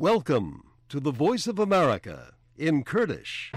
Welcome to the Voice of America in Kurdish.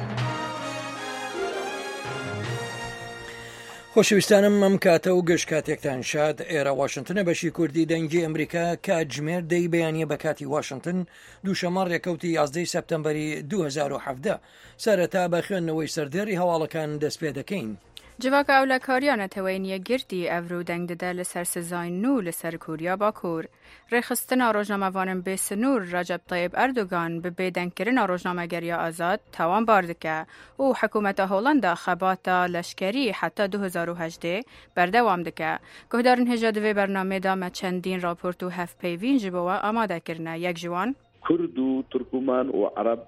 خۆشەویستانم ئەم کاتە و گشت کاتێکتان شاد ئێرە واشنتنە بەشی کوردی دەنگی ئەمریکا کاتژمێر دەی بەیانە بە کاتی واشنتن دووشەمە ڕێکەوتی 11 سەپتەمبەری 2017 سەرەتا بە خوێندنەوەی سەردێڕی هەواڵەکان دەست پێ دەکەین. Civaka Ewlekariya Neteweyên Yekgirtî evro deng dide li ser sizayên nû li ser Koriya Bakur. Rêxistina Rojnamevanên Bê Sinûr Recep Tayyip Erdogan bi bêdengkirina rojnamegeriya azad tawanbar dike û hikûmeta Holanda xebata leşkerî heta 2018 berdewam dike. Guhdarên hêja di vê bernameyê de me çendîn raport û hevpeyvîn ji bo we amade kirine. Yek ji wan. Kurd û Tirkûman û Ereb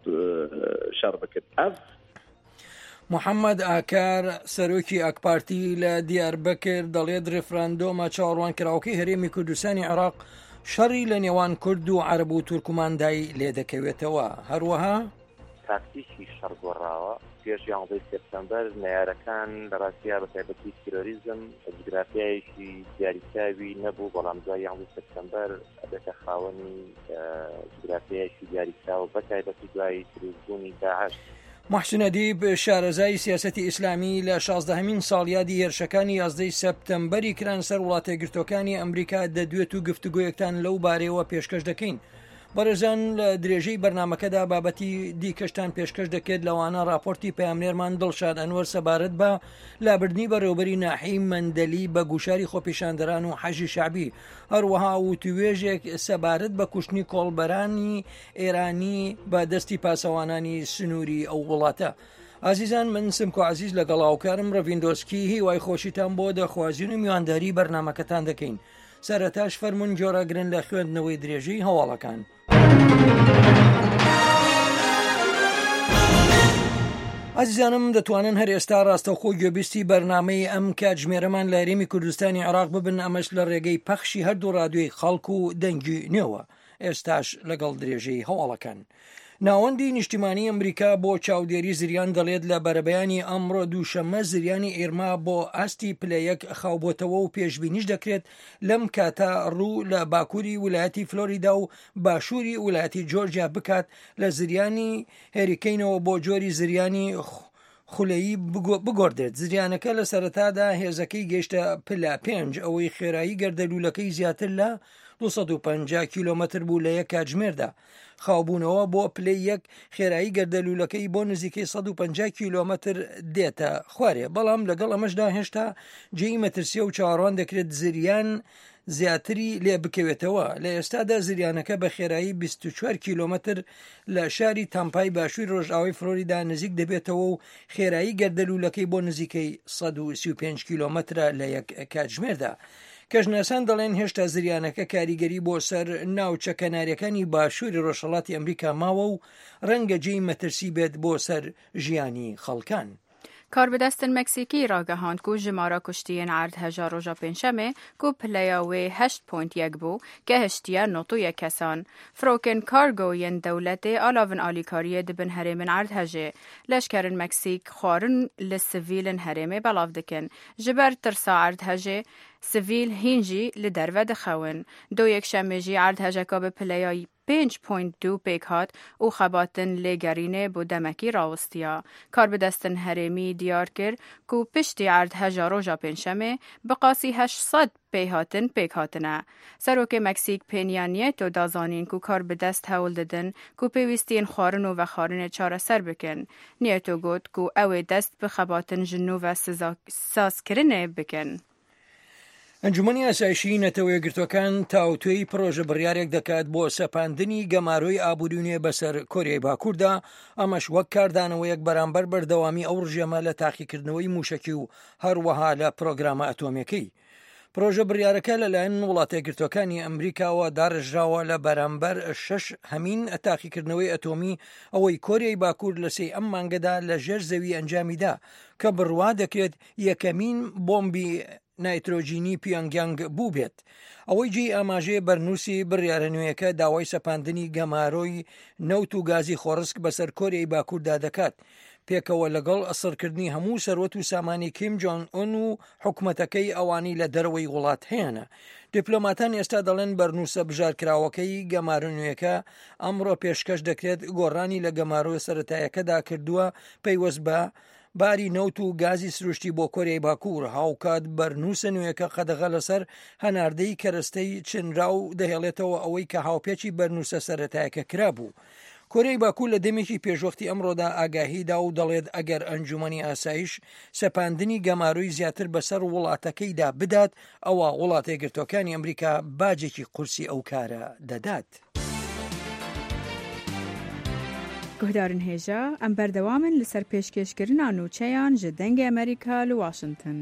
şer bikin. Ev. محەممەد ئاکار، سەرۆکی ئاکپارتی لە دیاربەکر دەڵێت ریفراندۆمە چاوەڕوانکراوەکەی هەرێمی کوردستانی عێراق شەڕی لە نێوان کورد و عەرەب و تورکماندای لێدەکەوێتەوە. هەروەها. تاکتیکی شەڕ گۆڕاوە. پێش یانزەی سێپتەمبەر نەیارەکان لە ڕاستیا بە تایبەتی تیرۆریزم جوگرافیایەکی دیاریکراوی نەبوو، بەڵام دوای یانزەی سێپتەمبەر ئەبێتە خاوەنی جوگرافیایەکی دیاریکراو بە تایبەتی دوای دروستبوونی داعش. موحسین ئەدیب، شارەزای سیاسەتی ئیسلامی لە شازدەهەمین ساڵیادی هێرشەکانی یازدەی سەپتەمبەری کران سەر وڵاتەیەکگرتووەکانی ئەمریکا دەدوێت و گفتوگۆیەکتان لەو بارەیەوە پێشکەش دەکەین. بەڕێزان لە درێژەی بەرنامەکەدا بابەتی دیکەشتان پێشکەش دەکرێت لەوانە راپۆرتی پەیامنێرمان دڵشاد ئەنوەر سەبارەت بە لابردنی بەڕێوبەری ناحیەی مەندەلی بە گوشاری خۆپیشاندەران و حەشدی شەعبی هەروەها وتوێژێک سەبارەت بە کوشتنی کۆڵبەرانی ئێرانی بە دەستی پاسەوانانی سنووری ئەو وڵاتە. ئازیزان من سمکۆ عزیز لەگەڵ هاوکارم ڕەڤیندۆسکی هیوای خۆشیتان بۆ دەخوازین و میوانداری بەرنمەکەتان دەکەین. سەرەتاش فەرموون گۆڕاگرن لە خوێندنەوەی درێژەی هەواڵەکان. ئازیزانم دەتوانن هەر ئێستا ڕاستەوخۆ گوێبیستی بەرنامەی ئەم کاتژمێرەمان لە هەرێمی کوردستانی عێراق ببن ئەمەش لە ڕێگەی پەخشی هەردوو ڕادیۆی خەڵک و دەنگی نوێوە ئێستاش لەگەڵ درێژەی هەواڵەکان. ناوەندی نیشتیمانی ئەمریکا بۆ چاودێری زریان دەڵێت لە بەرەبەیانی ئەمڕۆ دووشەممە زریانی ئیرما بۆ ئاستی پلە یەک خاوبۆتەوە و پێشبینیش دەکرێت لەم کاتە ڕوو لە باکووری ولایەتی فلۆریدا و باشووری ولایەتی جۆرجیا بکات لە زریانی هێریکەینەوە بۆ جۆری زریانی خولەیی بگۆڕدرێت. زریانەکە لە سەرەتادا هێزەکەی گەیشتە پلە پێنج، ئەوەی خێرایی گەردەلوولەکەی زیاتر لە 250 کیلۆمەتر بوو لە یەک کاتژمێردا. خاوبوونەوە بۆ پلەی یەک خێرایی گەردەلوولەکەی بۆ نزیکەی 150 کیلۆمەتر دێتە خوارێ، بەڵام لەگەڵ ئەمەشدا هێشتا جێی مەترسیە و چاوەڕوان دەکرێت زریان زیاتری لێ بکەوێتەوە. لە ئێستادا زریانەکە بە خێرایی 24 کیلۆمەتر لە شاری تامپای باشووری ڕۆژئاوای فلۆریدا نزیک دەبێتەوە و خێرایی گەردەلوولەکەی بۆ نزیکەی 135 کیلۆمەترە لە یەک کاتژمێردا. کەشناسان دەڵێن هێشتا زریانەکە کاریگەری بۆ سەر ناوچە کەناریەکانی باشووری ڕۆژهەڵاتی ئەمریکا ماوە و ڕەنگە جێی مەترسی بێت بۆ سەر ژیانی خەڵکان. کاربidestên Meksîkî ragihand ku jimara kuştiyên erdheja roja Pêncşemê ku pileya wê 8.1 bû, gehiştiye 91 kesan. Firokên kargo yên dewletê alavin alîkariyê dibin herêmên erdhejê. Leşkerên Meksîk xwarin li sivîlên herêmê belav dikin. Ji ber tirsa erdhejê, sivîl hîn jî li derve dixewin. Do Yekşemê jî erdhejeka bi pileya 5.2 pêk hat û xebatin lêgerînê bo demekî rawistiya. Karbidestên herêmî diyar kir ku piştî erdheja roja Pêncşemê bi qasî 800 pêhatin pêk hatine. Serokê Meksîk Peña Nieto da zanîn ku karbidest hewl didin ku pêwîstiyên xwarin û vexwarinê çareser bikin. Nieto got ku ew ê dest bi xebatin ji nû ve sazkirinê bikin. ئەنجومەنی ئاسایشی نەتەوە یەکگرتووەکان تاوتوێی پڕۆژە بڕیارێک دەکات بۆ سەپاندنی گەمارۆی ئابووری نوێ بەسەر کۆریای باکووردا، ئەمەش وەک کاردانەوەیەک بەرامبەر بەردەوامی ئەو ڕژێمە لە تاقیکردنەوەی مووشەکی و هەروەها لە پرۆگرامە ئەتۆمیەکەی. پرۆژە بڕیارەکە لەلایەن وڵاتە یەکگرتووەکانی ئەمریکاوە داڕێژراوە لە بەرامبەر شەش هەمین تاقیکردنەوەی ئەتۆمی ئەوەی کۆریای باکوور لە سێی ئەم مانگەدا لە ژێر زەوی ئەنجامیدا کە بڕوا دەکرێت یەکەمین بۆمبی نایترۆجینی پیۆنگیانگ بووبێت. ئەوەی جێی ئاماژەیە بەرنووسی بڕیارە نوێیەکە داوای سەپاندنی گەمارۆی نەوت و گازی خۆڕسک بەسەر کۆریای باکووردا دەکات. پێکەوە لەگەڵ سڕکردنی هەموو سەروەت و سامانی کیم جۆنگ ئون و حکومەتەکەی ئەوانەی لە دەرەوەی وڵات هەیانە. دیپلۆماتان ئێستا دەڵێن بەرنووسە بژارکراوەکەی گەمارۆ نوێیەکە ئەمڕۆ پێشکەش دەکرێت گۆڕانی لە گەمارۆ سەرەتایەکەدا کردووە پەیوەست بە باری نەوت و گازی سروشتی بۆ کۆریای باکوور، هاوکات بەرنووسە نوێیەکە قەدەغە لەسەر هەناردەی کەرەستەی چنراو دەهێڵێتەوە ئەوەی کە هاوپێچی بەرنووسە سەرەتایەکە کرابوو. کۆریای باکوور لە دەمێکی پێشوەختی ئەمڕۆدا ئاگاهی دا و دەڵێت ئەگەر ئەنجومەنی ئاسایش سەپاندنی گەمارۆی زیاتر بەسەر وڵاتەکەیدا بدات ئەوا وڵاتەیەکگرتووەکانی ئەمریکا باجێکی قورسی ئەو کارە دەدات. گوهدارن هێژا، ئەم بەردەوامن لەسەر پێشکێشکردنا نوچەیان ژ دەنگێ ئەمریکا لە واشنتن.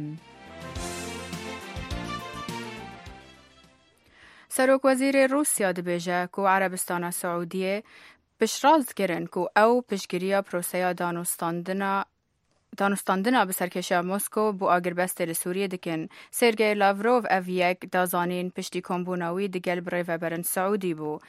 Serokwezîrê Rûsya dibêje ku Erebistana Siûdiyê piştrast kirin ku ew piştgiriya proseya danûstandina danûstandina bi serkêşiya Moskow bo agirbestê li Sûriyê dikin. Sergey Lavrov ev yek da zanîn piştî kombûna wî digel birêveberin Siûdî bû.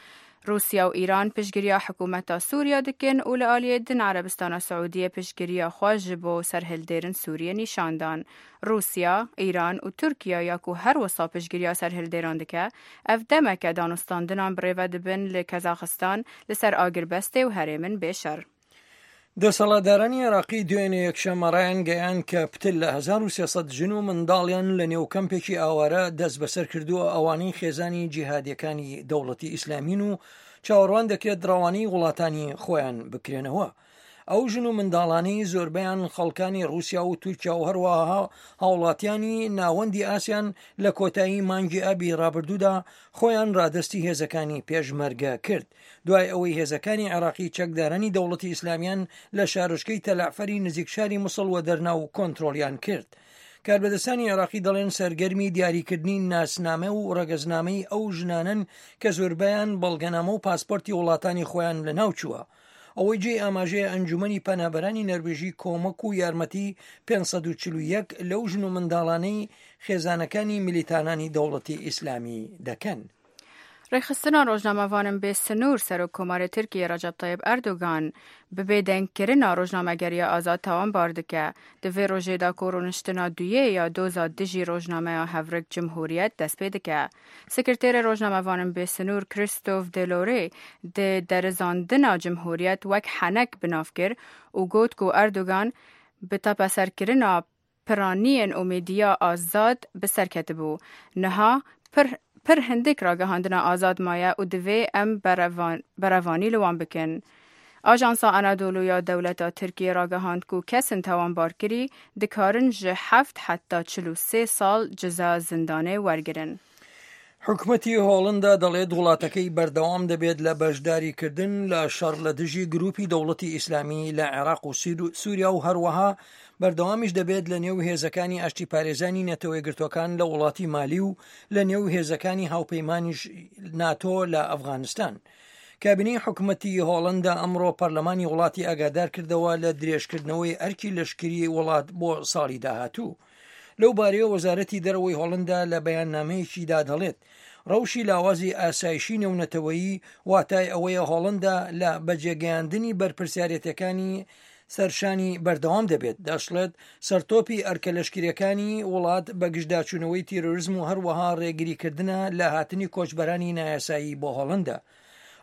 Rûsya û Îran piştgiriya hikûmeta Sûriya dikin û li aliyê din Erebistana Siûdiyê piştgiriya xwe ji bo serhildêrin Sûriyê nîşan dan. Rûsya, Îran û Tirkiye ya ku her wisa piştgiriya serhildêran dike, ev demeke danûstandinan birêve dibin li Kazaxistan li ser agirbestê û herêmin bê şer. دەسەڵاتدارانی عێراقی دوێنێ یەکشەممە ڕایانگەیاند کە پتر لە 1300 ژن و منداڵیان لە نێو کەمپێکی ئاوارە دەستبەسەر کردووە ئەوانەی خێزانی جیهادیەکانی دەوڵەتی ئیسلامین و چاوەڕوان دەکرێت ڕەوانەی وڵاتانی خۆیان بکرێنەوە. ئەو ژن و منداڵانەی زۆربەیان خەڵکانی ڕووسیا و تورکیا و هەروەها هاوڵاتیانی ناوەندی ئاسیان لە کۆتایی مانگی ئابی ڕابردوودا خۆیان ڕادەستی هێزەکانی پێشمەرگە کرد دوای ئەوەی هێزەکانی عێراقی چەکدارانی دەوڵەتی ئیسلامیان لە شارۆچکەی تەلەعفەری نزیک شاری موسڵ وەدەرنا و کۆنترۆڵیان کرد. کاربەدەستانی عێراقی دەڵێن سەرگەرمی دیاریکردنی ناسنامە و ڕەگەزنامەی ئەو ژنانەن کە زۆربەیان بەڵگەنامە و پاسپۆرتی وڵاتانی خۆیان لەناوچووە. ئەوەی جێی ئاماژەیە ئەنجومەنی پەنابەرانی نەرویژی کۆمەک و یارمەتی 541 لەو ژن و منداڵانەی خێزانەکانی میلیتانانی دەوڵەتی ئیسلامی دەکەن. Rêxistina Rojnamevanên Bê Sinûr Serokkomarê Tirkiyê Recep Tayyip Erdogan bi bêdengkirina rojnamegeriya azad tawanbar dike. Di vê rojê de ku rûniştina duyê ya doza dijî rojnameya Hevrik Cumhuriyet dest pê dike. Sekreterê Rojnamevanên Bê Sinûr Christophe Delorê di derizandina Cumhuriyet wek henek bi nav kir û got ku Erdogan bi tepeserkirina piraniyên û mêdiya azad bi ser ketibû. Niha pir pir hindik ragihandina azad maye û divê em berevanî li wan bikin. Ajansa Anadolu ya dewleta Tirkiyê ragihand ku kesên tawanbarkirî dikarin ji heft heta 43 sal ceza zindanê wergirin. حکومەتی هۆڵندا دەڵێت وڵاتەکەی بەردەوام دەبێت لە بەشداریکردن لە شەڕ لە دژی گروپی دەوڵەتی ئیسلامی لە عێراق و سووریا و هەروەها بەردەوامیش دەبێت لە نێو هێزەکانی ئاشتی پارێزانی نەتەوەیەکگرتووەکان لە وڵاتی مالی و لە نێو هێزەکانی هاوپەیمانیش ناتۆ لە ئەفغانستان. کابینەی حکومەتی هۆڵندا ئەمڕۆ پەرلەمانی وڵاتی ئاگادار کردەوە لە درێژکردنەوەی ئەرکی لەشکری وڵات بۆ ساڵی داهاتوو. لەو بارەیەوە وەزارەتی دەرەوەی هۆڵندا لە بەیاننامەیەکیدا دەڵێت، ڕەوشی لاوازی ئاسایشی نێونەتەوەیی واتای ئەوەیە هۆڵندا لە بەجێگەیاندنی بەرپرسیارێتیەکانی سەرشانی بەردەوام دەبێت. دەشڵێت، سەرتۆپی ئەرکە لەشکرییەکانی وڵات بەگژداچوونەوەی تیرۆرزم و هەروەها ڕێگریکردنە لە هاتنی کۆچبەرانی نایاسایی بۆ هۆڵندا.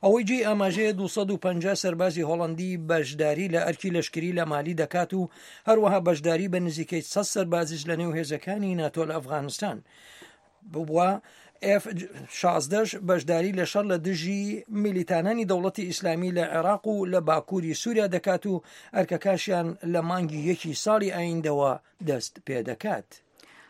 ئەوەی جێی ئاماژەیە 250 سەربازی هۆڵەندی بەشداری لە ئەرکی لەشکری لە مالی دەکات و هەروەها بەشداری بە نزیکەی 100 سەربازیش لە نێو هێزەکانی ناتۆ لە ئەفغانستان بووە. ئێف 16 بەشداری لە شەڕ لە دژی میلیتانانی دەوڵەتی ئیسلامی لە عێراق و لە باکووری سووریا دەکات و ئەرکەکاشیان لە مانگی یەکی ساڵی ئایندەوە دەست پێدەکات.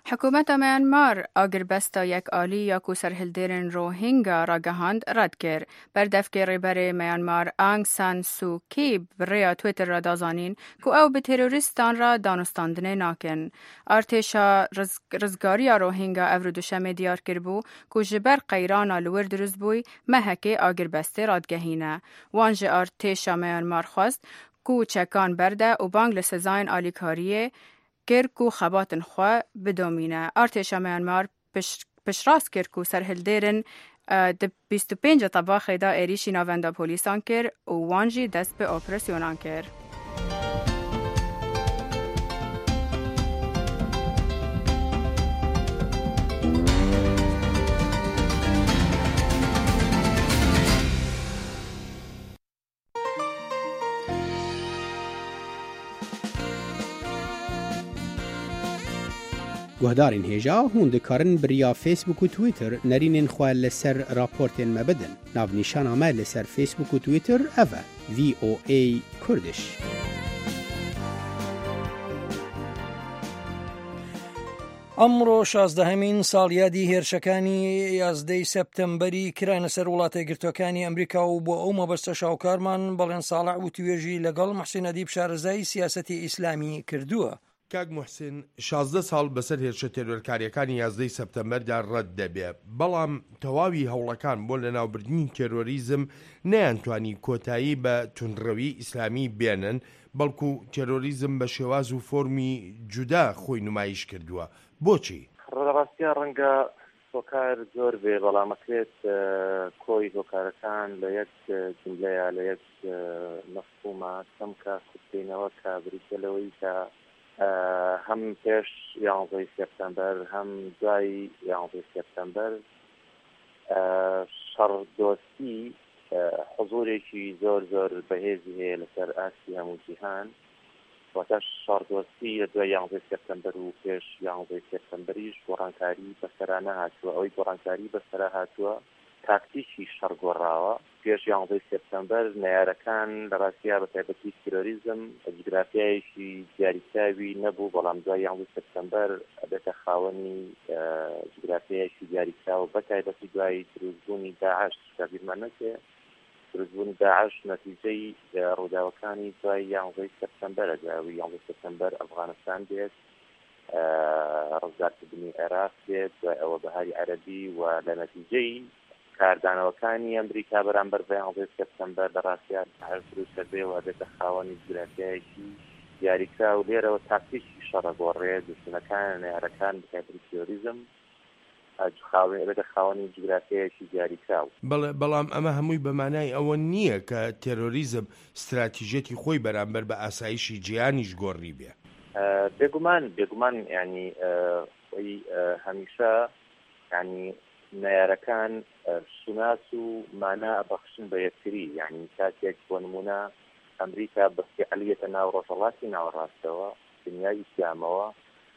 Hikûmeta Myanmar agirbesta yekalî ya ku serhildêrên Rohingya ragihand red kir. Berdevkê Rêberê Myanmar Aung San Suu Kyi bi rêya Twitter re da zanîn ku ew bi terorîstan re danûstandinê nakin. Artêşa Rizgariya Rohingya evro Duşemê diyar kiribû ku ji ber qeyrana li wir dirust bûy mehekê agirbestê radigehîne. Wan ji artêşa Myanmar xwest ku çekan berde û bang li sezayên alîkariyê kir ku xebatên xwe bidomîne. Artêşa Myanmar piştrast kir ku serhildêrên di 25 Tebaxê de êrîşî navenda polîsan kir û wan jî dest bi operasyonan kir. Guhdarên hêja hûn dikarin bi riya Facebook û Twitter nerînên xwe li ser raportên me bidin. Navnîşana me li ser Facebook û Twitter ev e, VOA Kurdish. ئەمڕۆ شازدەهەمین ساڵیادی هێرشەکانی یازدەی سەپتەمبەری کرانە سەر وڵاتە یەکگرتووەکانی ئەمریکا و بۆ ئەو مەبەستە شاوکارمان بەڵێن ساڵح وتوێژی لەگەڵ محسین ئەدیب شارەزای سیاسەتی ئیسلامی کردووە. کاک موحسین، 16 ساڵ بەسەر هێرشە تێرۆرکارییەکانی یازدەی سەپتەمبەردا ڕەت دەبێ، بەڵام تەواوی هەوڵەکان بۆ لەناوبردنی تێرۆریزم نەیانتوانی کۆتایی بە توندڕەویی ئیسلامی بێنن، بەڵکو تێرۆریزم بە شێواز و فۆرمی جودا خۆی نمایش کردووە، بۆچی؟ لە ڕاستیا ڕەنگە هۆکار زۆر بێ، بەڵام ئەکرێت کۆی هۆکارەکان لە یەک جوملەیا، لە یەک مەفهوما، چەمکا کورت کەینەوە کە بریتیە لەوەی کە هەم پێش یانزەی سێپتەمبەر هەم دوای یانزەی سێپتەمبەر شەڕ دۆستی حزوورێکی زۆر زۆر بەهێزی هەیە لەسەر ئاستی هەموو جیهان، واتە شەڕدۆستی لە دوای یانزەی سێپتەمبەر و پێش یانزەی سێپتەمبەریش گۆڕانکاری بەسەرا نەهاتووە، ئەوەی گۆڕانکاری بەسەرا هاتووە تاکتیکی شەڕ گۆڕاوە. پێش یانزەی سێپتەمبەر نەیارەکان لە ڕاستیا بە تایبەتی تیرۆریزم جوگرافیایەکی دیاریکراوی نەبوو، بەڵام دوای یانزەی سێپتەمبەر ئەبێتە خاوەنی جوگرافیایەکی دیاریکراو بە تایبەتی دوای دروستبوونی داعش. چونکە بیرمان نەچێ دروستبوونی داعش نەتیجەی ڕووداوەکانی دوای یانزەی سێپتەمبەرە، دوای ئەوەی یانزەی سێپتەمبەر ئەفغانستان دێت، ڕزگارکردنی عێراق دێت، دوای ئەوە بەهاری عەرەبی و لە نەتیجەی کاردانەوەکانی ئەمریکا بەرامبەر بە یانزەی سێپتەمبەر لە ڕاستیا داعش دروست دەبێ و ئەبێتە خاوەنی جوگرافیایەکی دیاریکراو، لێرەوە تاکتیکی شەڕ ئەگۆڕێ، دوژمنەکان، نەیارەکان، بەتایبەتی تیرۆریزم ئەبێتە خاوەنی جوگرافیایەکی دیاریکراو. بەڵێ، بەڵام ئەمە هەمووی بە مانای ئەوە نییە کە تێرۆریزم ستراتیژیەتی خۆی بەرامبەر بە ئاسایشی جیهانیش گۆڕیبێ. بێگومان، بێگومان یانی خۆی هەمیشە یانی نەیارەکان شوناس و مانا ئەبەخشن بە یەکتری، یانی کاتێک بۆ نموونە ئەمریکا بە فیعلی یەتە ناو ڕۆژهەڵاتی ناوەڕاستەوە، دنیای ئیسلامەوە،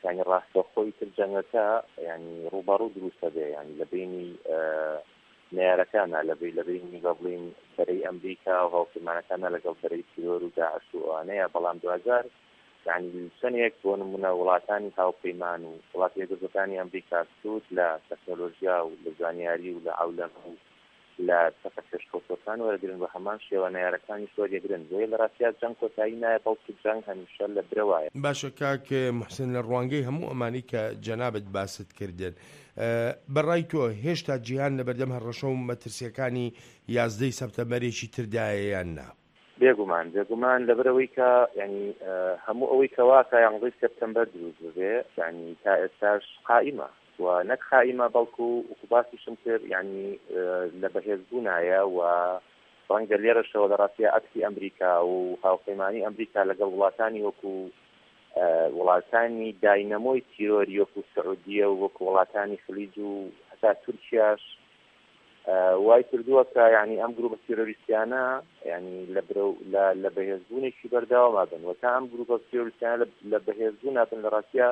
یانی ڕاستەوخۆ ئیتر جەنگەکە یانی ڕووبەڕوو دروست ئەبێ یانی لە بەینی نەیارەکانا لە بەی لە بەینی بە بڵێین بەرەی ئەمریکا و هاوپەیمانەکانا لەگەڵ بەرەی تیرۆر و داعش و ئەوانەیە بەڵام دواجار یانی چەندێک بۆ نمونە وڵاتانی هاوپەیمان و وڵاتە یەکگرتووەکانی ئەمریکا سوود لە تەکنۆلۆژیا و لە زانیاری و لە عەولەم و لە چەکە پێشکەوتووەکان وەرەگرن بە هەمان شێوە نەیارەکانیش وەریەگرن بۆیە لە ڕاستیا جەنگ کۆتایی نایە بەڵکو جەنگ هەمیشە لە برەوایە. باشە کاک موحسن لە ڕوانگەی هەموو ئەمانەی کە جەنابت باست کردن بە ڕای تۆ هێشتا جیهان لەبەردەم هەڕەشە و مەترسیەکانی یازدەی سەپتەمبەرێکی تردایە یان نا؟ بێگومان بێگومان لەبەرئەوەی کە یانی هەموو ئەوەی کە وا کە یانزەی سێپتەمبەر دروست ببێ یانی تا ئێستاش قائیمە و نەک قائیمە بەڵکو وەکو باسیشم کرد یانی لە بەهێزبوونایە و ڕەنگە لێرەشەوە لە ڕاستیا ئەکسی ئەمریکا و هاوپەیمانی ئەمریکا لەگەڵ وڵاتانی وەکو وڵاتانی داینەمۆی تیرۆری وەکو سعودیە و وەکو وڵاتانی خلیج و هەتا تورکیاش وای کردووە کە یانی ئەم گروپە تیرۆریستیانە یانی لە برەو لە لە بەهێزبوونێکی بەردەواما بن و تا ئەم گروپە تیرۆریستیانە لە بەهێزبوونا بن لە ڕاستیا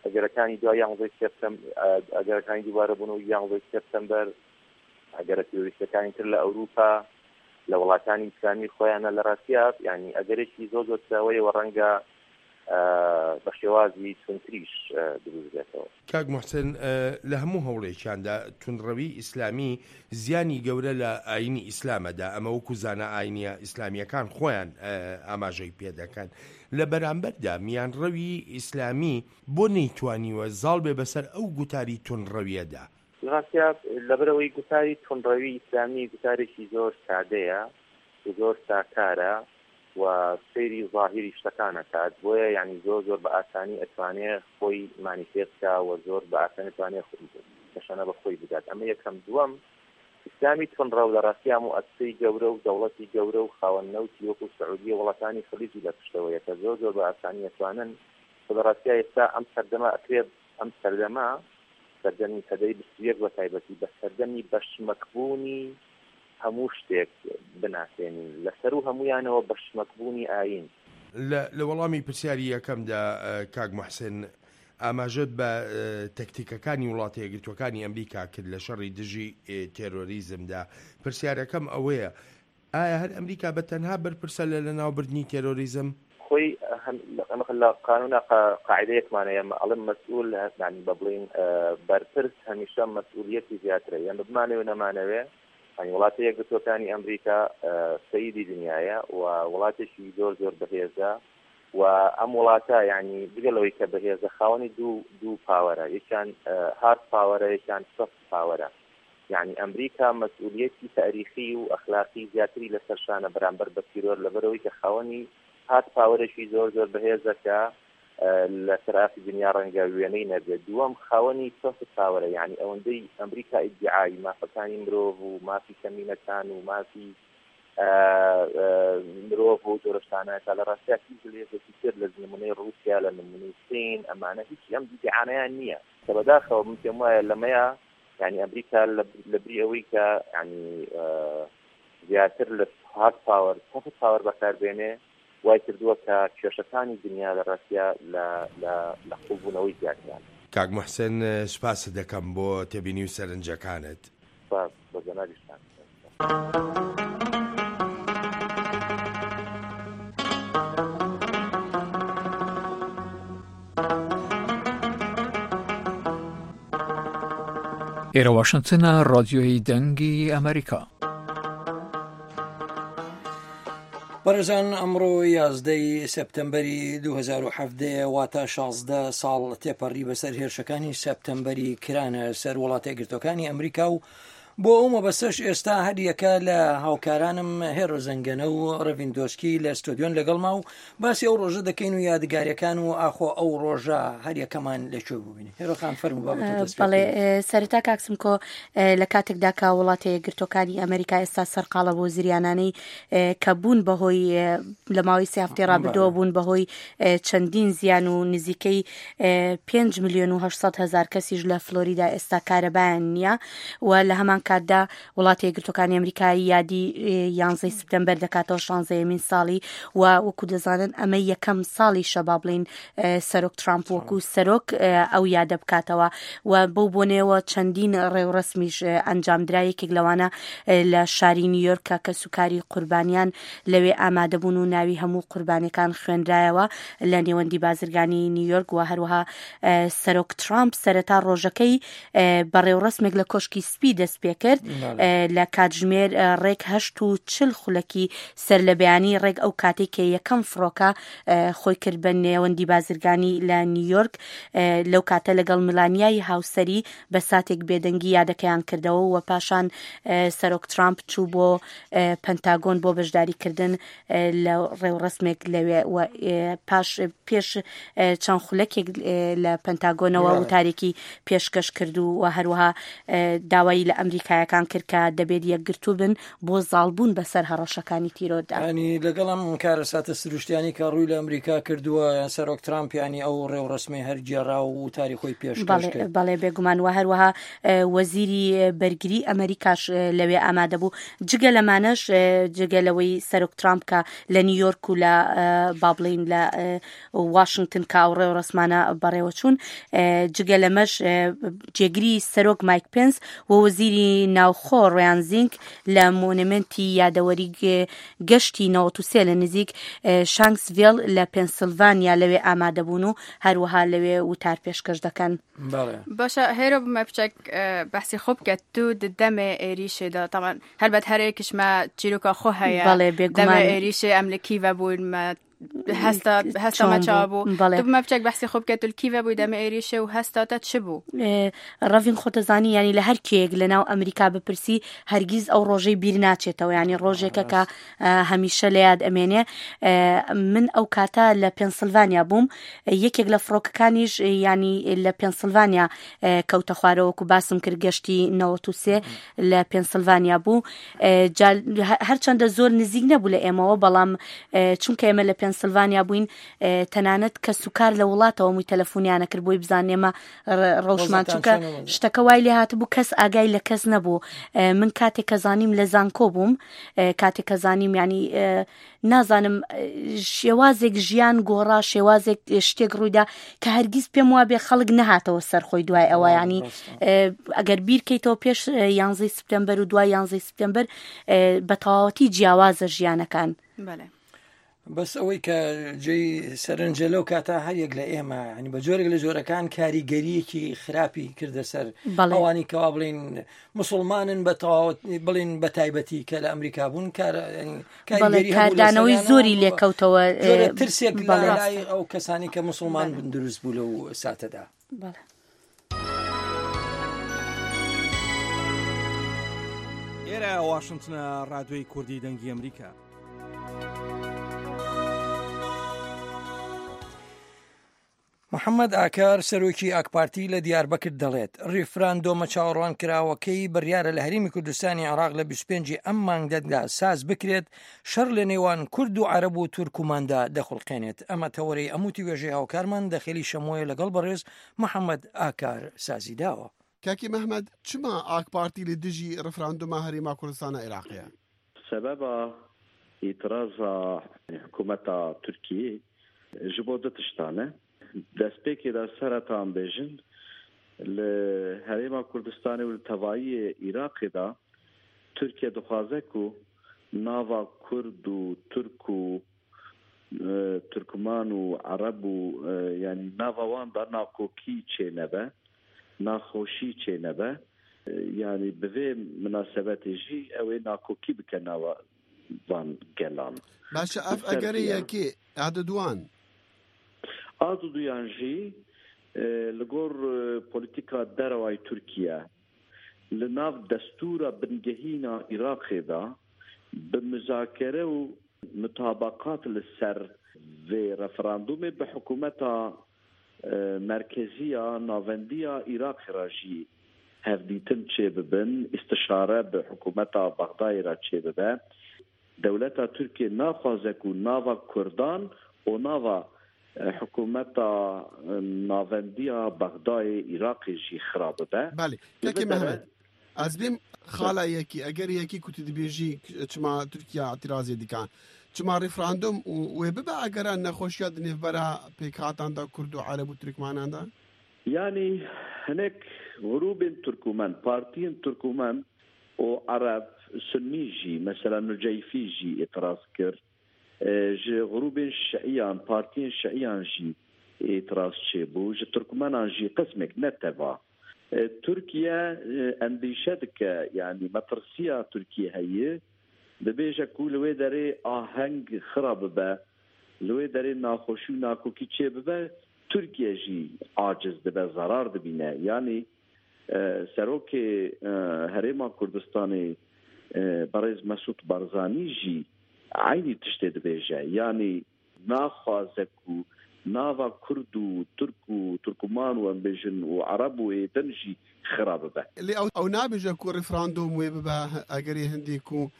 ئەگەرەکانی دوای یانزەی سێپتەم ئەگەرەکانی دووبارە بوون و یانزەی سێپتەمبەر ئەگەرە تیرۆریستەکانی تر لە ئەوروپا لە وڵاتانی ئیسلامی خۆیانە لە ڕاستیا یانی ئەگەرێکی زۆر زۆر کراوەیە و ڕەنگە بە شێوازی توندتریش دروست بێتەوە. کاک موحسن لە هەموو هەوڵێکیاندا توندڕەوی ئیسلامی زیانی گەورە لە ئاینی ئیسلام ئەدا، ئەمە وەکو زانا ئاینیە ئیسلامیەکان خۆیان ئاماژەی پێدەکەن، لە بەرامبەردا میانڕەوی ئیسلامی بۆ نەیتوانیوە زاڵ بێ بەسەر ئەو گوتاری توندڕەویەدا؟ لە ڕاستیا لەبەرئەوەی گوتاری توندڕەوی ئیسلامی گوتارێکی زۆر سادەیە و زۆر ساکارە و سەیری زاهیری شتەکان ئەکات بۆیە یانی زۆر زۆر بە ئاسانی ئەتوانێ خۆی مانیفێست کا و زۆر بە ئاسانی ئەتوانێ تەشەنە بە خۆی بدات ئەمە یەکەم دووەم ئیسلامی توندڕەو لە ڕاستیا موئەسسەی گەورە و دەوڵەتی گەورە و خاوەن نەوتی وەکو سعودیە وڵاتانی خلیجی لە پشتەوەیە کە زۆر زۆر بە ئاسانی ئەتوانن و لە ڕاستیا ئێستا ئەم سەردەمە ئەکرێ ئەم سەردەمە سەردەمی سەدەی 21 بە تایبەتی بە سەردەمی بەشمەکبوونی هەموو شتێک بناسێنین، لە سەروو هەموویانەوە بە شمەکبوونی ئایین. لە لە وەڵامی پرسیاری یەکەمدا کاک موحسن، ئاماژەت بە تەکتیکەکانی وڵاتە یەکگرتووەکانی ئەمریکا کرد لە شەڕی دژی تێرۆریزمدا، پرسیارەکەم ئەوەیە ئایا هەر ئەمریکا بە تەنها بەرپرسە لە لەناوبردنی تێرۆریزم؟ خۆی لە قانونا قاعدەیەکمان هەیە ئەڵێم مەسئول یانی بە بڵین بەرپرس هەمیشە مەسئولیەتی زیاترە یان بمانەوێ و نەمانەوێ یانی وڵاتە یەکگرتووەکانی ئەمریکا سەیدی دنیایە و وڵاتێکی زۆر زۆر بەهێزە و ئەم وڵاتە یانی جگە لەوەی کە بەهێزە خاوەنی دوو دوو پاوەرە یەکیان هارد پاوەرە یەکیان سۆفت پاوەرە یانی ئەمریکا مەسئولیەتی تاریخی و ئەخلاقی زیاتری لەسەر شانە بەرامبەر بە تیرۆر لەبەرئەوەی کە خاوەنی هارد پاوەرێکی زۆر زۆر بەهێزە کە لەسەر ئاستی دنیا ڕەنگە وێنەی نەبێت دووەم خاوەنی سۆفت پاوەرە یانی ئەوەندەی ئەمریکا ئیدعای مافەکانی مرۆڤ و مافی کەمینەکان و مافی مرۆڤ و جۆرە شتانە کە لە ڕاستیا هیچ هێزێکی تر لە نمونەی ڕووسیا لە نمونەی سین ئەمانە هیچ ئەم ئیدعانەیان نییە کە بەداخەوە من پێم وایە لەمەیە یعنی ئەمریکا لە بری ئەوەی کە یعنی زیاتر لە هارد پاوەر سۆفت پاوەر بەکاربێنێ وای کردووە کە کێشەکانی دنیا لە ڕاستیا لە لە لە قوڵبوونەوەی زیاتران. کاک موحسن سوپاست دەکەم بۆ تێبینی و سەرنجەکانت. سوپاس بۆ جەنابیشتان. ئێرە واشنتنە ڕادیۆی دەنگی ئەمریکا. بەڕێزان ئەمڕۆ یازدەی سێپتەمبەری 2017 واتە 16 ساڵ تێپەڕی بەسەر هێرشەکانی سێپتەمبەری کرانە سەر وڵاتە یەکگرتووەکانی ئەمریکا و بۆ ئەو مەبەستەش ئێستا هەریەکە لە هاوکارانم هێرۆ زەنگەنە و ڕەڤین دۆسکی لە ستۆدیۆن لەگەڵما و باسی ئەو ڕۆژە دەکەین و یادگاریەکان و ئاخۆ ئەو ڕۆژە هەریەکەمان لە کوێ بووین هێرۆ خان فەرموو با بە تۆ دەست پێ بەڵێ بکەین. سەرەتا کاک سمکۆ لە کاتێکدا کە وڵاتە یەکگرتووەکانی ئەمریکا ئێستا سەرقاڵە بۆ زریانانەی کە بوون بەهۆی لە ماوەی سێ هەفتەی ڕابردووە بوون بەهۆی چەندین زیان و نزیکەی 5 ملیۆن و 800 هەزار کەسیش لە فلۆریدا ئێستا کارەبایان نییە و لە هەمان کاتدا وڵاتە یەکگرتووەکانی ئەمریکا یادی یانزەی سپتەمبەر دەکاتەوە شانزەیەمین ساڵی و وەکو دەزانن ئەمە یەکەم ساڵیشە با بڵین سەرۆک ترامپ وەکو سەرۆک ئەو یادە بکاتەوە و بەو بۆنەیەوە چەندین ڕێوڕەسمیش ئەنجامدرا یەکێک لەوانە لە شاری نیویۆرک کە کەسوکاری قوربانیان لەوێ ئامادەبوون و ناوی هەموو قوربانیەکان خوێنرایەوە لە نێوەندی بازرگانی نیویۆرک و هەروەها سەرۆک ترامپ سەرەتا ڕۆژەکەی بە ڕێوڕەسمێک لە کۆشکی سپی دەست پێکرد لە کاتژمێر ڕێک هەشت و چل خولەکی سەر لە بەیانی ڕێک ئەو کاتێک کە یەکەم فڕۆکە خۆی کرد بە نێوەندی بازرگانی لە نیویۆرک لەو کاتە لەگەڵ ملانیای هاوسەری بە ساتێک بێدەنگی یادەکەیان کردەوە و پاشان سەرۆک ترامپ چوو بۆ پەنتاگۆن بۆ بەشداریکردن لە ڕێوڕەسمێک لەوێ و پاش پێش چەند خولەکێک لە پەنتاگۆنەوە وتارێکی پێشکەش کرد و هەروەها داوای لە ئەمریکایەکان کرد کە دەبێت یەکگرتوو بن بۆ زاڵبوون بەسەر هەڕەشەکانی تیرۆردا. ینی لەگەڵ ئەم کارەساتە سروشتیانی کە ڕووی لە ئەمریکا کردووە سەرۆک ترامپ ینی ئەو ڕێوڕەسمەی هەر گێڕا و وتاری خۆی پێشکەش کرد. بەڵێ بێگومان و هەروەها وەزیری بەرگری ئەمریکاش لەوێ ئامادە بوو جگە لەمانەش جگە لەوەی سەرۆک ترامپ کە لە نیویۆرک و لە با بڵێین لە واشنگتن کە ئەو ڕێوڕەسمانە بەڕێوەچوون جگە لەمەش جێگری سەرۆک مایک پێنس و وەزیری ناوخۆ ڕیان زینک لە مۆنێمێنتی یادەوەری گەشتی 93 لە نزیک شانکسڤێل لە پێنسیلڤانیا لەوێ ئامادەبوون و هەروەها لەوێ وتار پێشکەش دەکەن. باشە هێرۆ بمە بچەک بەحسی خۆ بکە تو دەمێ ئێریشێ دا تەبعەن هەلبەت هەرێکیش مە چیرۆکا خۆ هەیە بەڵێ بێگومان دەمێ ئێریشێ ئەم لە کیڤە بوون مە هەستا هەستا چۆن مە چاوە بوو؟ بوو بەڵێ. تو بمە بچەک بەحسی خۆ بکە تو لە کیڤە بووی دەمێ ئێریشێ و هەستا تە چ بوو؟ ڕەڤین خۆتەزانی یانی لە هەر کێیەک لە ناو ئەمریکا بپرسی هەرگیز ئەو ڕۆژەی بیر ناچێتەوە یانی ڕۆژێکە کە هەمیشە لە یاد ئەمێنێ من ئەو کاتە لە پێنسلڤانیا بووم یەکێک لە فڕۆکەکانیش ینی لە پێنسلڤانیا کەوتە خوارەوە وەکو باسم کرد گەشتی 93 لە پێنسلڤانیا بوو هەرچەندە زۆر نزیک نەبوو لە ئێمەوە بەڵام چونکە ئێمە لە پێنسلڤانیا پەنسلڤانیا بووین تەنانەت کەس و کار لە وڵاتەوە مووی تەلەفۆنیانە کرد بۆی بزانێ ئێمە ڕەوشمان چونکە شتەکە وای لێ هاتبوو کەس ئاگای لە کەس نەبوو من کاتێک کە زانیم لە زانکۆ بووم کاتێک کە زانیم ینی نازانم شێوازێک ژیان گۆڕا شێوازێک شتێک ڕوویدا کە هەرگیز پێم وابێ خەڵک نەهاتەوە سەرخۆی دوای ئەوە ینی ئەگەر بیرکەیتەوە پێش یانزەی سپتەمبەر و دوای یانزەی سپتەمبەر بە تەواوەتی جیاوازە ژیانەکان. بەڵێ. بەس ئەوەی کە جێی سەرنجە لەو کاتە هەر یەک لە ئێمە ینی بە جۆرێک لە جۆرەکان کاریگەریەکی خراپی کردە سەر ئەوانی کەوا بڵین مسلمانن بە تەواوەت بڵین بە تایبەتی کە لە ئەمریکا بوون کار کاردانەوەی زۆری لێکەوتەوە ترسێک بەڵای ئەو کەسانی کە مسلمان بوون دروست بوو لەو ساتەدا. بەڵێ. ئێرە واشنتنە ڕادیۆی کوردی دەنگی ئەمریکا. محەممەد ئاکار سەرۆکی ئاکپارتی لە دیاربەکر دەڵێت ڕیفراندۆمە چاوەڕوانکراوەکەی بڕیارە لە هەرێمی کوردستانی عێراق لە 25 ئەم مانگەدا ساز بکرێت شەڕ لە نێوان کورد و عەرەب و تورکماندا دەخوڵقێنێت ئەمە تەوەرەی ئەم وتوێژەی هاوکارمان دەخێلی شەمۆیە لەگەڵ بەڕێز محەممەد ئاکار سازی داوە. کاکی مەهمەد چما ئاک پارتی لە دژی ڕفراندوما هەرێما کوردستانا ئێراقێە؟ سەبەبا ئیترازا حکوومەتا تورکیê ji bo du tiştan e. Destpêkê de sereta em bêjin li Herêma Kurdistanê û li tevayiyê Iraqê de Tirkiye dixwaze ku nava Kurd û Tirk û Tirkman û Ereb û yanî nava wan de nakokî çênebe, naxweşî çênebe. Yanî bi vê minasebetê jî ew ê nakokî bike nava van gelan. Başe ev egerê yekê a diduan. A diduyan jî li gor polîtîka derewayî Tirkiye li nav destûra bingehîn a Iraqê de bi muzakere û mutabaqat li ser vê referandûmê bi hikûmeta merkezî ya navendî ya Iraqê re jî hevdîtin çêbibin, îstişare bi hikûmeta Bexdayê re çêbibe. Dewleta Tirkiyê naxwaze ku nava Kurdan û nava hikûmeta navendiya Bexdayê, Iraqê jî xira bibe. Belê. Kekê Mehmet, ez bêm xala yekî, eger yekî ku tu dibêjî çima Tirkiye îtîrazê dike, çima referandum û wê bibe egera nexweşiya di nêvbera pêkhatan de Kurd û Ereb û Tirkmanan de? Yanî hinek grûbên Tirkûmen, partiyên Tirkûmen û Ereb, Sunnî jî, mesela Nuceyfî jî îtiraz kir. Ji grûbên Şiîyan, partiyên Şiîyan jî îtiraz çêbû. Ji Tirkmenan jî qismek, ne teva. Tirkiye endîşe dike, yanî metirsiya Tirkiyê heye, dibêje ku li wê derê aheng xira bibe, li wê derê naxweşî û nakokî çêbibe, Tirkiye jî aciz dibe, zerar dibîne. Yanî Serokê Herêma Kurdistanê Birêz Mesûd Barzanî jî eynî tiştê dibêje. Yanî naxwaze ku nava Kurd û Tirk û Tirkman û em bêjin û Ereb û ê din jî xira bibe. Lê ew nabêje ku referandûm wê bibe egerê hindî ku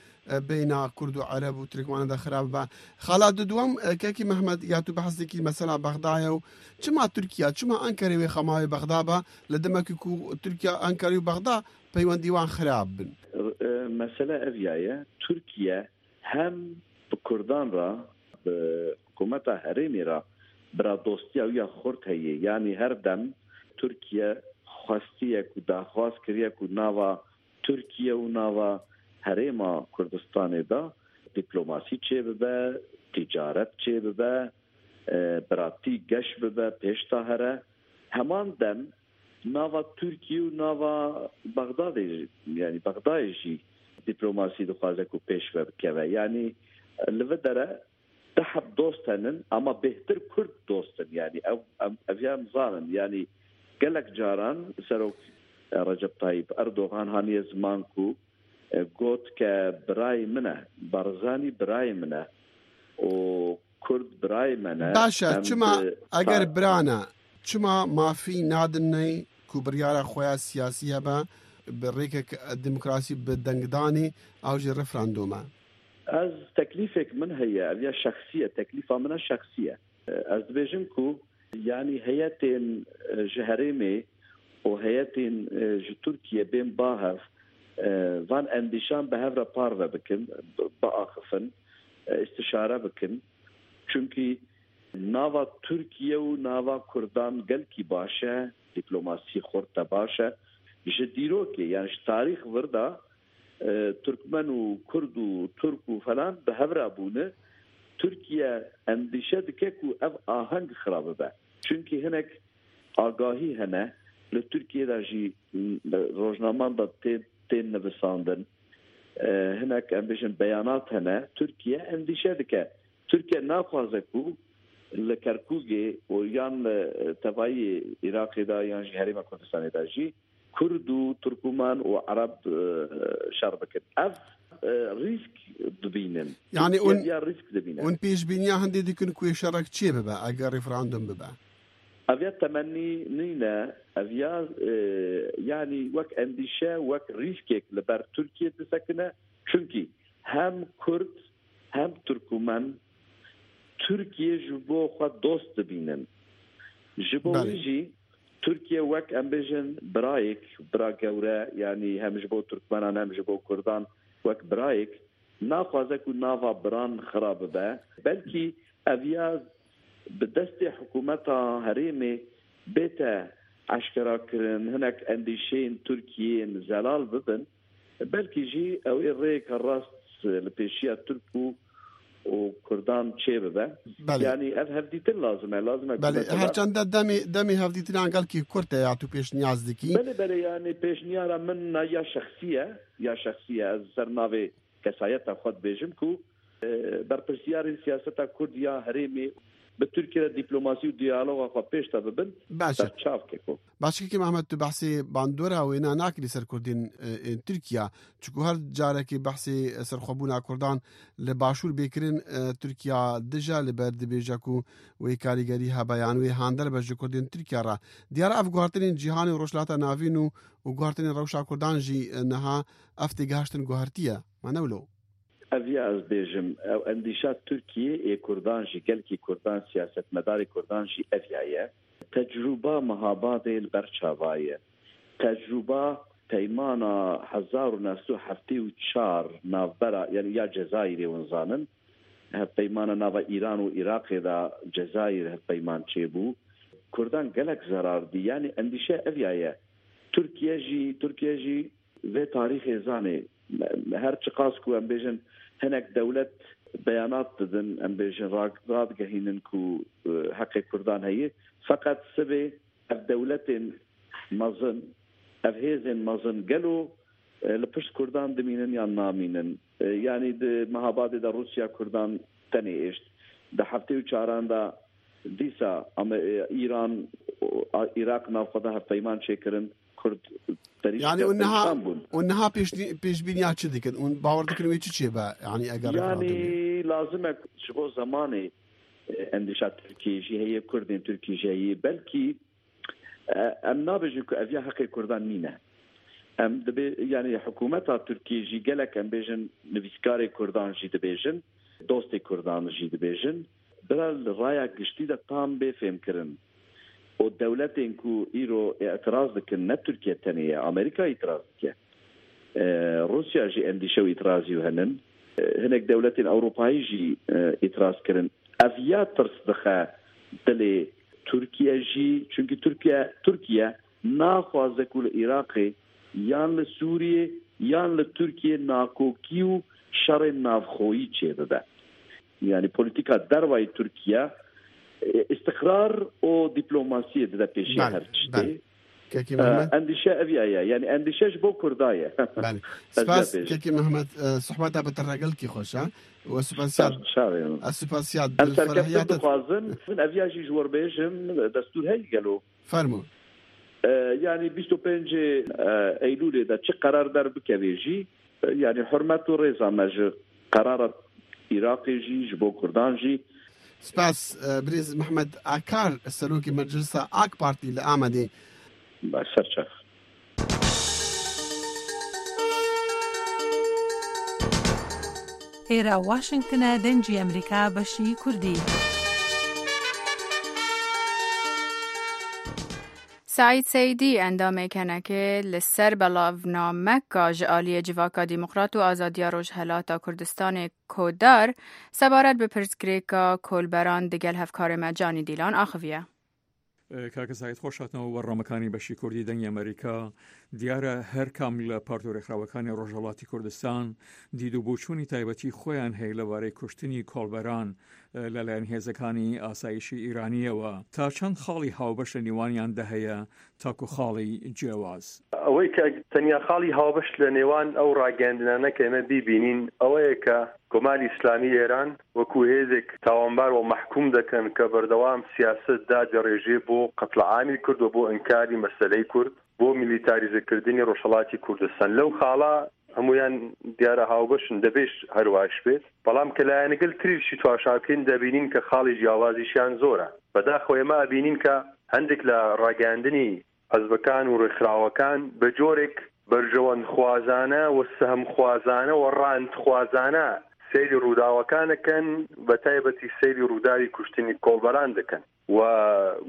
beyna Kurd û Ereb û Tirkmanan de xira bibe. Xala duduwem Kekî Mehmet ya tu behs dikî mesela Bexdayê û çima Tirkiya, çima Enkerê wê xema wê Bexda be li demekî ku Tirkiya, Enkerê û Bexda peywendî wan xirab bin. Mesele ev ya ye, Tirkiye hem bi Kurdan re, bi hikûmeta herêmê re biradostiya wî ya xurt heye. Yanî her dem Tirkiye xwestiye ku daxwaz kiriye ku nava Tirkiye û nava Herêma Kurdistanê de dîplomasî çêbibe, tîcaret çêbibe, biratî geş bibe, pêş de here. Heman dem nava Tirkiye û nava Bexdadê yanî Bexdayê jî dîplomasî dixwaze ku pêş ve bikeve. Yanî li vi dere Du heb dost henin ama bêhtir Kurd dost in yanî ew ev ya em zanin yanî gelek caran Serok Recep Tayyip Erdogan haniye ziman ku got ke birayê min e Barzanî birayê min e û Kurd birayê me ne. Baş e çima eger bira ne çima mafî nadin ku biryara xwe ya siyasî hebe bi rêkek demokrasî bi dengdanê ew jî referandûm e. Ez teklîfek min heye ev ya şexsî ye teklîfa min a şexsî ye. Ez dibêjim ku yanî heyetên ji herêmê û heyetên ji Tirkiye bên ba hev van endîşan bi hev re parve bikin, biaxifin, îstişare bikin. Çunkî nava Tirkiye û nava Kurdan gelkî baş e, dîplomasî xurt e baş e. Ji dîrokê yan ji tarîx vir de Tirkmen û Kurd û Turk û felan bi hev re bûne. Tirkiye endîşe dike ku ev aheng xira bibe. Çunkî hinek agahî hene li Tirkiyê de jî rojnaman de tên nivisandin. Hinek em bêjin beyanat hene. Tirkiye endîşe dike. Tirkiye naxwaze ku li Kerkûkê û yan li tevayî Iraqê de yan jî Herêma Kurdistanê de jî Kurd û Tirkûman û Ereb şer bikin. Ev rîsk dibînin. Yani Tirkiye ya rîsk dibîne. Hûn pêşbîniya hindê dikin ku ê şerek çê bibe eger referandum bibe? Ev ya temennî nîne, ev ya yanî wek endîşe, wek rîskêk li ber Tirkiye disekine. Çunkî hem Kurd hem Tirkûmen Tirkiye ji bo xwe dost dibînin. Ji bo wî jî Tirkiye wek em bêjin birayek, bira gewre yanî hem ji bo Tirkmenan hem ji bo Kurdan wek birayek naxwaze ku nava biran xira bibe. Belkî ev ya bi destê hikûmeta herêmê bête eşkerakirin, hinek endîşeyên Tirkiyeyên zelal bibin. Belkî jî ew ê rêyeke rast li pêşiya Tirk û û Kurdan çê bibe. Yanî ev hevdîtin lazim e. Lazim e ku Belê, mesela her çende demê demê hevdîtinan gelkî kurt e ya tu pêşniyaz dikî. Belê belê yanî pêşniyara min ya şexsî ye, ya şexsî ye. Ez ser navê kesayeta xwe dibêjim ku berpirsiyarên siyaseta Kurd ya herêmê bi Tirkiyê re dîplomasî û diyaloga xwe pêş de bibin, Baş e. berçav keko. Baş kekê Mehmet tu behsê bandora wêna nakirî ser Kurdên ên Tirkiya. Çiku her carekê behsê serxwebûna Kurdan li Başûr bê kirin Tirkiya dije li ber dibêje ku wê karîgerî hebe yan wê hander be ji Kurdên Tirkiya re. Diyar ev guhertinên cîhanê û Rojhilata Navîn û û guhertinên rewşa Kurdan jî niha ev têgihiştin guhertiye. Ma ne wilo? Ev ya ez bêjim ew endîşa Tirkiyê ê Kurdan jî gelkî Kurdan siyasetmedarê Kurdan jî ev ya ye. Tecrûba Mehabadê li ber çava ye. Tecrûba peymana 1974 navbera yanî ya Cezayîrê hûn zanin hevpeymana nava Îran û Iraqê de Cezayîr hevpeyman çêbû. Kurdan gelek zerar dî. Yanî endîşe ev ya ye. Tirkiye jî Tirkiye jî vê tarîxê zanê. Her çiqas ku em bêjin hinek dewlet beyanat didin, em bêjin radigehînin ku heqê Kurdan heye, feqet sibê ev dewletên mezin, ev hêzên mezin gelo li pişt Kurdan dimînin yan namînin? Yanî di Mehabadê de Rûsya Kurdan tenê êşt. Di 74an de dîsa Îran Iraq nav xwe de hevpeyman çêkirin. Kurd perîşan Yani û niha bûn. Û niha pêşbîniya çi dikin? Û bawer dikin wê çi çêbe? Yani eger Yani lazim e ji bo zemanê endîşa Tirkiyê jî heye, Kurdên Tirkiyê jî heye. Belkî em nabêjin ku ev ya heqê Kurdan nîne. Em dibê yani hikûmeta Tirkiyê jî gelek em bêjin nivîskarê Kurdan jî dibêjin, dostê Kurdan jî dibêjin. Bira li raya giştî de tam bê fêmkirin û dewletên ku îro îtiraz dikin ne Tirkiye tenê ye, Amerîka îtiraz dike. Rûsya jî endîşe û îtirazî henin. Hinek dewletên Ewropayî jî îtiraz kirin. Ev ya tirs dixe dilê Tirkiye jî çunkî Tirkiye Tirkiye naxwaze ku li Iraqê yan li Sûriyê yan li Tirkiyê nakokî û şerên navxweyî çêbibe. Yanî polîtîka dervayî Tirkiye îstiqrar û dîplomasiyê dide pêşiya her tiştê. Kekê Mehmet. Endîşe ev ya ye. Yanî endîşe ji bo Kurda ye. Belê. Spas Kekê Mehmet sohbeta bi te re gelkî xweş e. Û spasiya Ez spasiya Em serkeftin dixwazin. Ev ya jî ji wir bêjim destûr heye gelo. Fermo. Yanî 25 Eylûlê de çi qerar derbikevê jî yanî hurmet û rêza me ji qerara Iraqê jî ji bo Kurdan jî. Spas birêz Mehmet Akar Serokê Meclisa AK Partî li Amedê. Baş serçav. ئێرە واشنگتنە دەنگی ئەمریکا بەشی کوردی. سەعید سەیدی ئەندامê KNK'ê li ser belavnameka ji aliyê Civaka Demokrat û Azadiya Rojhilata Kurdistanê KODAR sebaret bi pirsgirêka kolberan digel hevkarê me Canî Dîlan axiviye. کاکە سەعید خۆش هاتنەوە بەرنامەکانی بەشی کوردی دەنگی ئەمریکا دیارە هەر کام لە پارت و ڕێکخراوەکانی ڕۆژهەڵاتی کوردستان دید و بۆچوونی تایبەتی خۆیان هەیە لەبارەی کوشتنی کۆڵبەران لەلایەن هێزەکانی ئاسایشی ئیرانیەوە تا چەند خاڵی هاوبەش لە نێوانیاندا هەیە تاکو خاڵی جیاواز؟ ئەوەی کە تەنیا خاڵی هاوبەش لە نێوان ئەو ڕاگەیاندنانە کە ئێمە بیبینین ئەوەیە کە کۆماری ئیسلامی ئێران وەکوو هێزێک تاوانبار و مەحکووم دەکەن کە بەردەوام سیاسەت دادەڕێژێ بۆ قەتڵعامی کورد و بۆ ئینکاری مەسەلەی کورد بۆ میلیتاریزە کردنی ڕۆژهەڵاتی کوردستان. لەو خاڵە هەموویان دیارە هاوبەشن، دەبێش هەروایش بێت. بەڵام کە لایەنگەل تریشی تواشا بکەین دەبینین کە خاڵی جیاوازیشیان زۆرە. بەداخەوە ئێمە ئەبینین کە هەندێک لە ڕاگەیاندنی حزبەکان و ڕێکخراوەکان بە جۆرێک بەرژەوەندخوازانە و سەهمخوازانە و ڕانتخوازانە سەیری ڕووداوەکان ئەکەن، بەتایبەتی سەیری ڕووداوی کوشتنی کۆڵبەران دەکەن و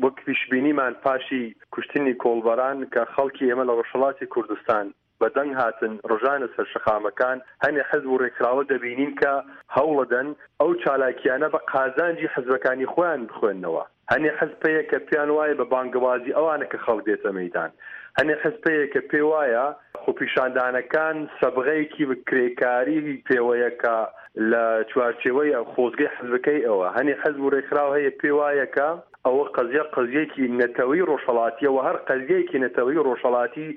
وەک پیشبینیمان پاشی کوشتنی کۆڵبەران کە خەڵکی ئێمە لە ڕۆژهەڵاتی کوردستان بە دەنگ هاتن ڕژانە سەر شەقامەکان، هەنێ حزب و ڕێکخراوە دەبینین کە هەوڵەدەن ئەو چالاکیانە بە قازانجی حزبەکانی خۆیان بخوێننەوە. هەنێ حزب هەیە کە پێیان وایە بە بانگەوازی ئەوانە کە خەڵک دێتە مەیدان. هەنێ حزب هەیە کە پێ وایە خۆپیشاندانەکان سەبغەیەکی کرێکاری پێوەیە کە لە چوارچێوەی خۆزگەی حزبەکەی ئەوە. هەنێ حزب و ڕێکخراو هەیە پێ وایە کە ئەوە قەزیە قەزیەکی نەتەوەی ڕۆژهەڵاتیە و هەر قەزیەیەکی نەتەوەی ڕۆژهەڵاتی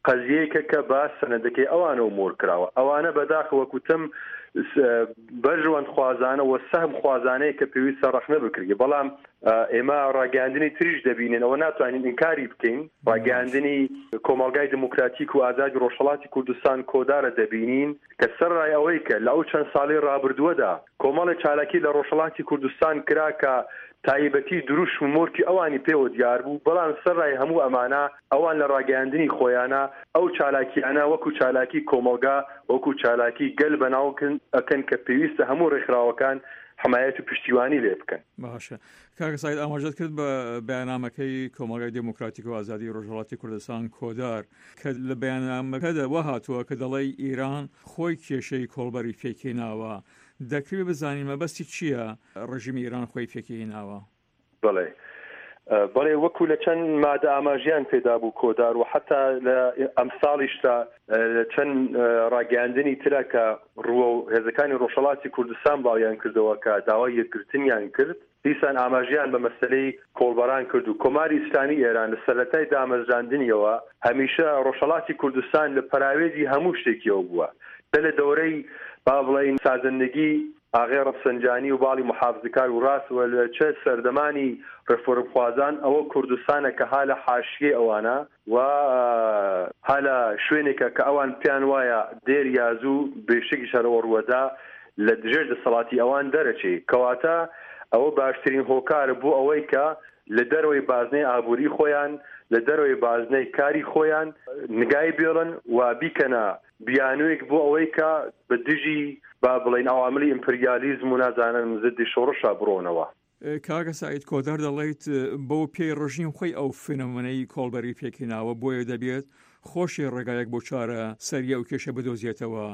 قەزیەیەکە کە بە سەنەدەکەی ئەوانەوە مۆر کراوە. ئەوانە بەداخەوە وەک وتم بەرژەوەند خوازانە و سەهم خوازانەیە کە پێویستە ڕەخنە بکرێت. بەڵام ئێمە ڕاگەیاندنی تریش دەبینین، ئەوە ناتوانین ئینکاری بکەین، ڕاگەیاندنی کۆمەڵگای دموکراتیک و ئازادی ڕۆژهەڵاتی کوردستان کۆدارە دەبینین کە سەرڕای ئەوەی کە لە ئەو چەند ساڵەی ڕابردووەدا کۆمەڵێ چالاکی لە ڕۆژهەڵاتی کوردستان کرا کە تایبەتی دروشم و مۆرکی ئەوانی پێوە دیار بوو، بەڵام سەرڕای هەموو ئەمانە ئەوان لە ڕاگەیاندنی خۆیانا ئەو چالاکییانە وەکوو چالاکی کۆمەڵگا، وەکوو چالاکی گەل بەناو ئەکەن کە پێویستە هەموو ڕێکخراوەکان حمایەت و پشتیوانی لێ بکەن. باشە کاکە سەعید ئاماژەت کرد بە بەیاننامەکەی کۆمەڵگای دێموکراتیک و ئازادی ڕۆژهەڵاتی کوردستان کۆدار کە لە بەیاننامەکەدا وا هاتووە کە دەڵێی ئیران خۆی کێشەی کۆڵبەری پێکهێناوە دەکرێ بزانین مەبەستی چییە ڕژیمی ئیران خۆی پێکهێناوە؟ بەڵێ بەڵێ وەکو لە چەند مادە ئاماژیان پێدا بوو کۆدار و حتا لە ئەمساڵیشدا لە چەند ڕاگەیاندنی ترە کە ڕووە و هێزەکانی ڕۆژهەڵاتی کوردستان بڵاویان کردەوە کە داوای یەکگرتنیان کرد دیسان ئاماژەیان بە مەسەلەی کۆڵبەران کرد و کۆماری ئیسلامی ئێران لە سەرەتای دامەزراندنیەوە هەمیشە ڕۆژهەڵاتی کوردستان لە پەراوێزی هەموو شتێکیەوە بووە چە لە دەورەی با بڵێین سازندگی ئاغای ڕەفسەنجانی و باڵی موحافزکار و ڕاست و لە چە سەردەمانی ڕێفۆرمخوازان ئەوە کوردستانە کە ها لە حاشیەی ئەوانە و ها لە شوێنێکە کە ئەوان پێیان وایە دێر یا زوو بێشکیش هەر ئەوە ڕووەدا لە ژێر دەسەڵاتی ئەوان دەرەچێ. کەواتە ئەوە باشترین هۆکارە بۆ ئەوەی کە لە دەرەوەی بازنەی ئابووری خۆیان، لە دەرەوەی بازنەی کاری خۆیان نگای بێڵن و بیکەنە بیانوویەک بۆ ئەوەی کە بە دژی با بڵێین عەواملی ئیمپریالیزم و نازانم زدی شۆڕشا بڕۆنەوە. کاکە سەعید کۆدار دەڵیت بەو پێی ڕژیم خۆی ئەو فێنۆمەنەی کۆڵبەری پێکهێناوە بۆیە دەبێت خۆشی ڕێگایەک بۆ چارە سەری ئەو کێشە بدۆزێتەوە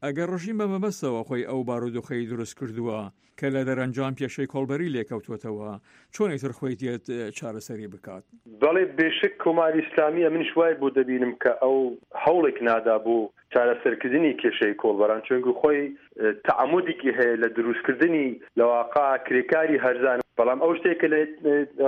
ئەگەر ڕژیم بە مەبەستەوە خۆی ئەو بارودۆخەی دروست کردووە کە لە دەرەنجام کێشەی کۆڵبەری لێکەوتووەتەوە چۆن ئیتر خۆی دێت چارەسەری بکات؟ بەڵێ بێشک کۆماری ئیسلامی ئەمنیش وای بۆ دەبینم کە ئەو هەوڵێک نادا بۆ چارەسەرکردنی کێشەی کۆڵبەران چونکو خۆی تەعەمودێکی هەیە لە دروستکردنی لەواقع کرێکاری هەرزان، بەڵام ئەو شتێک کە لە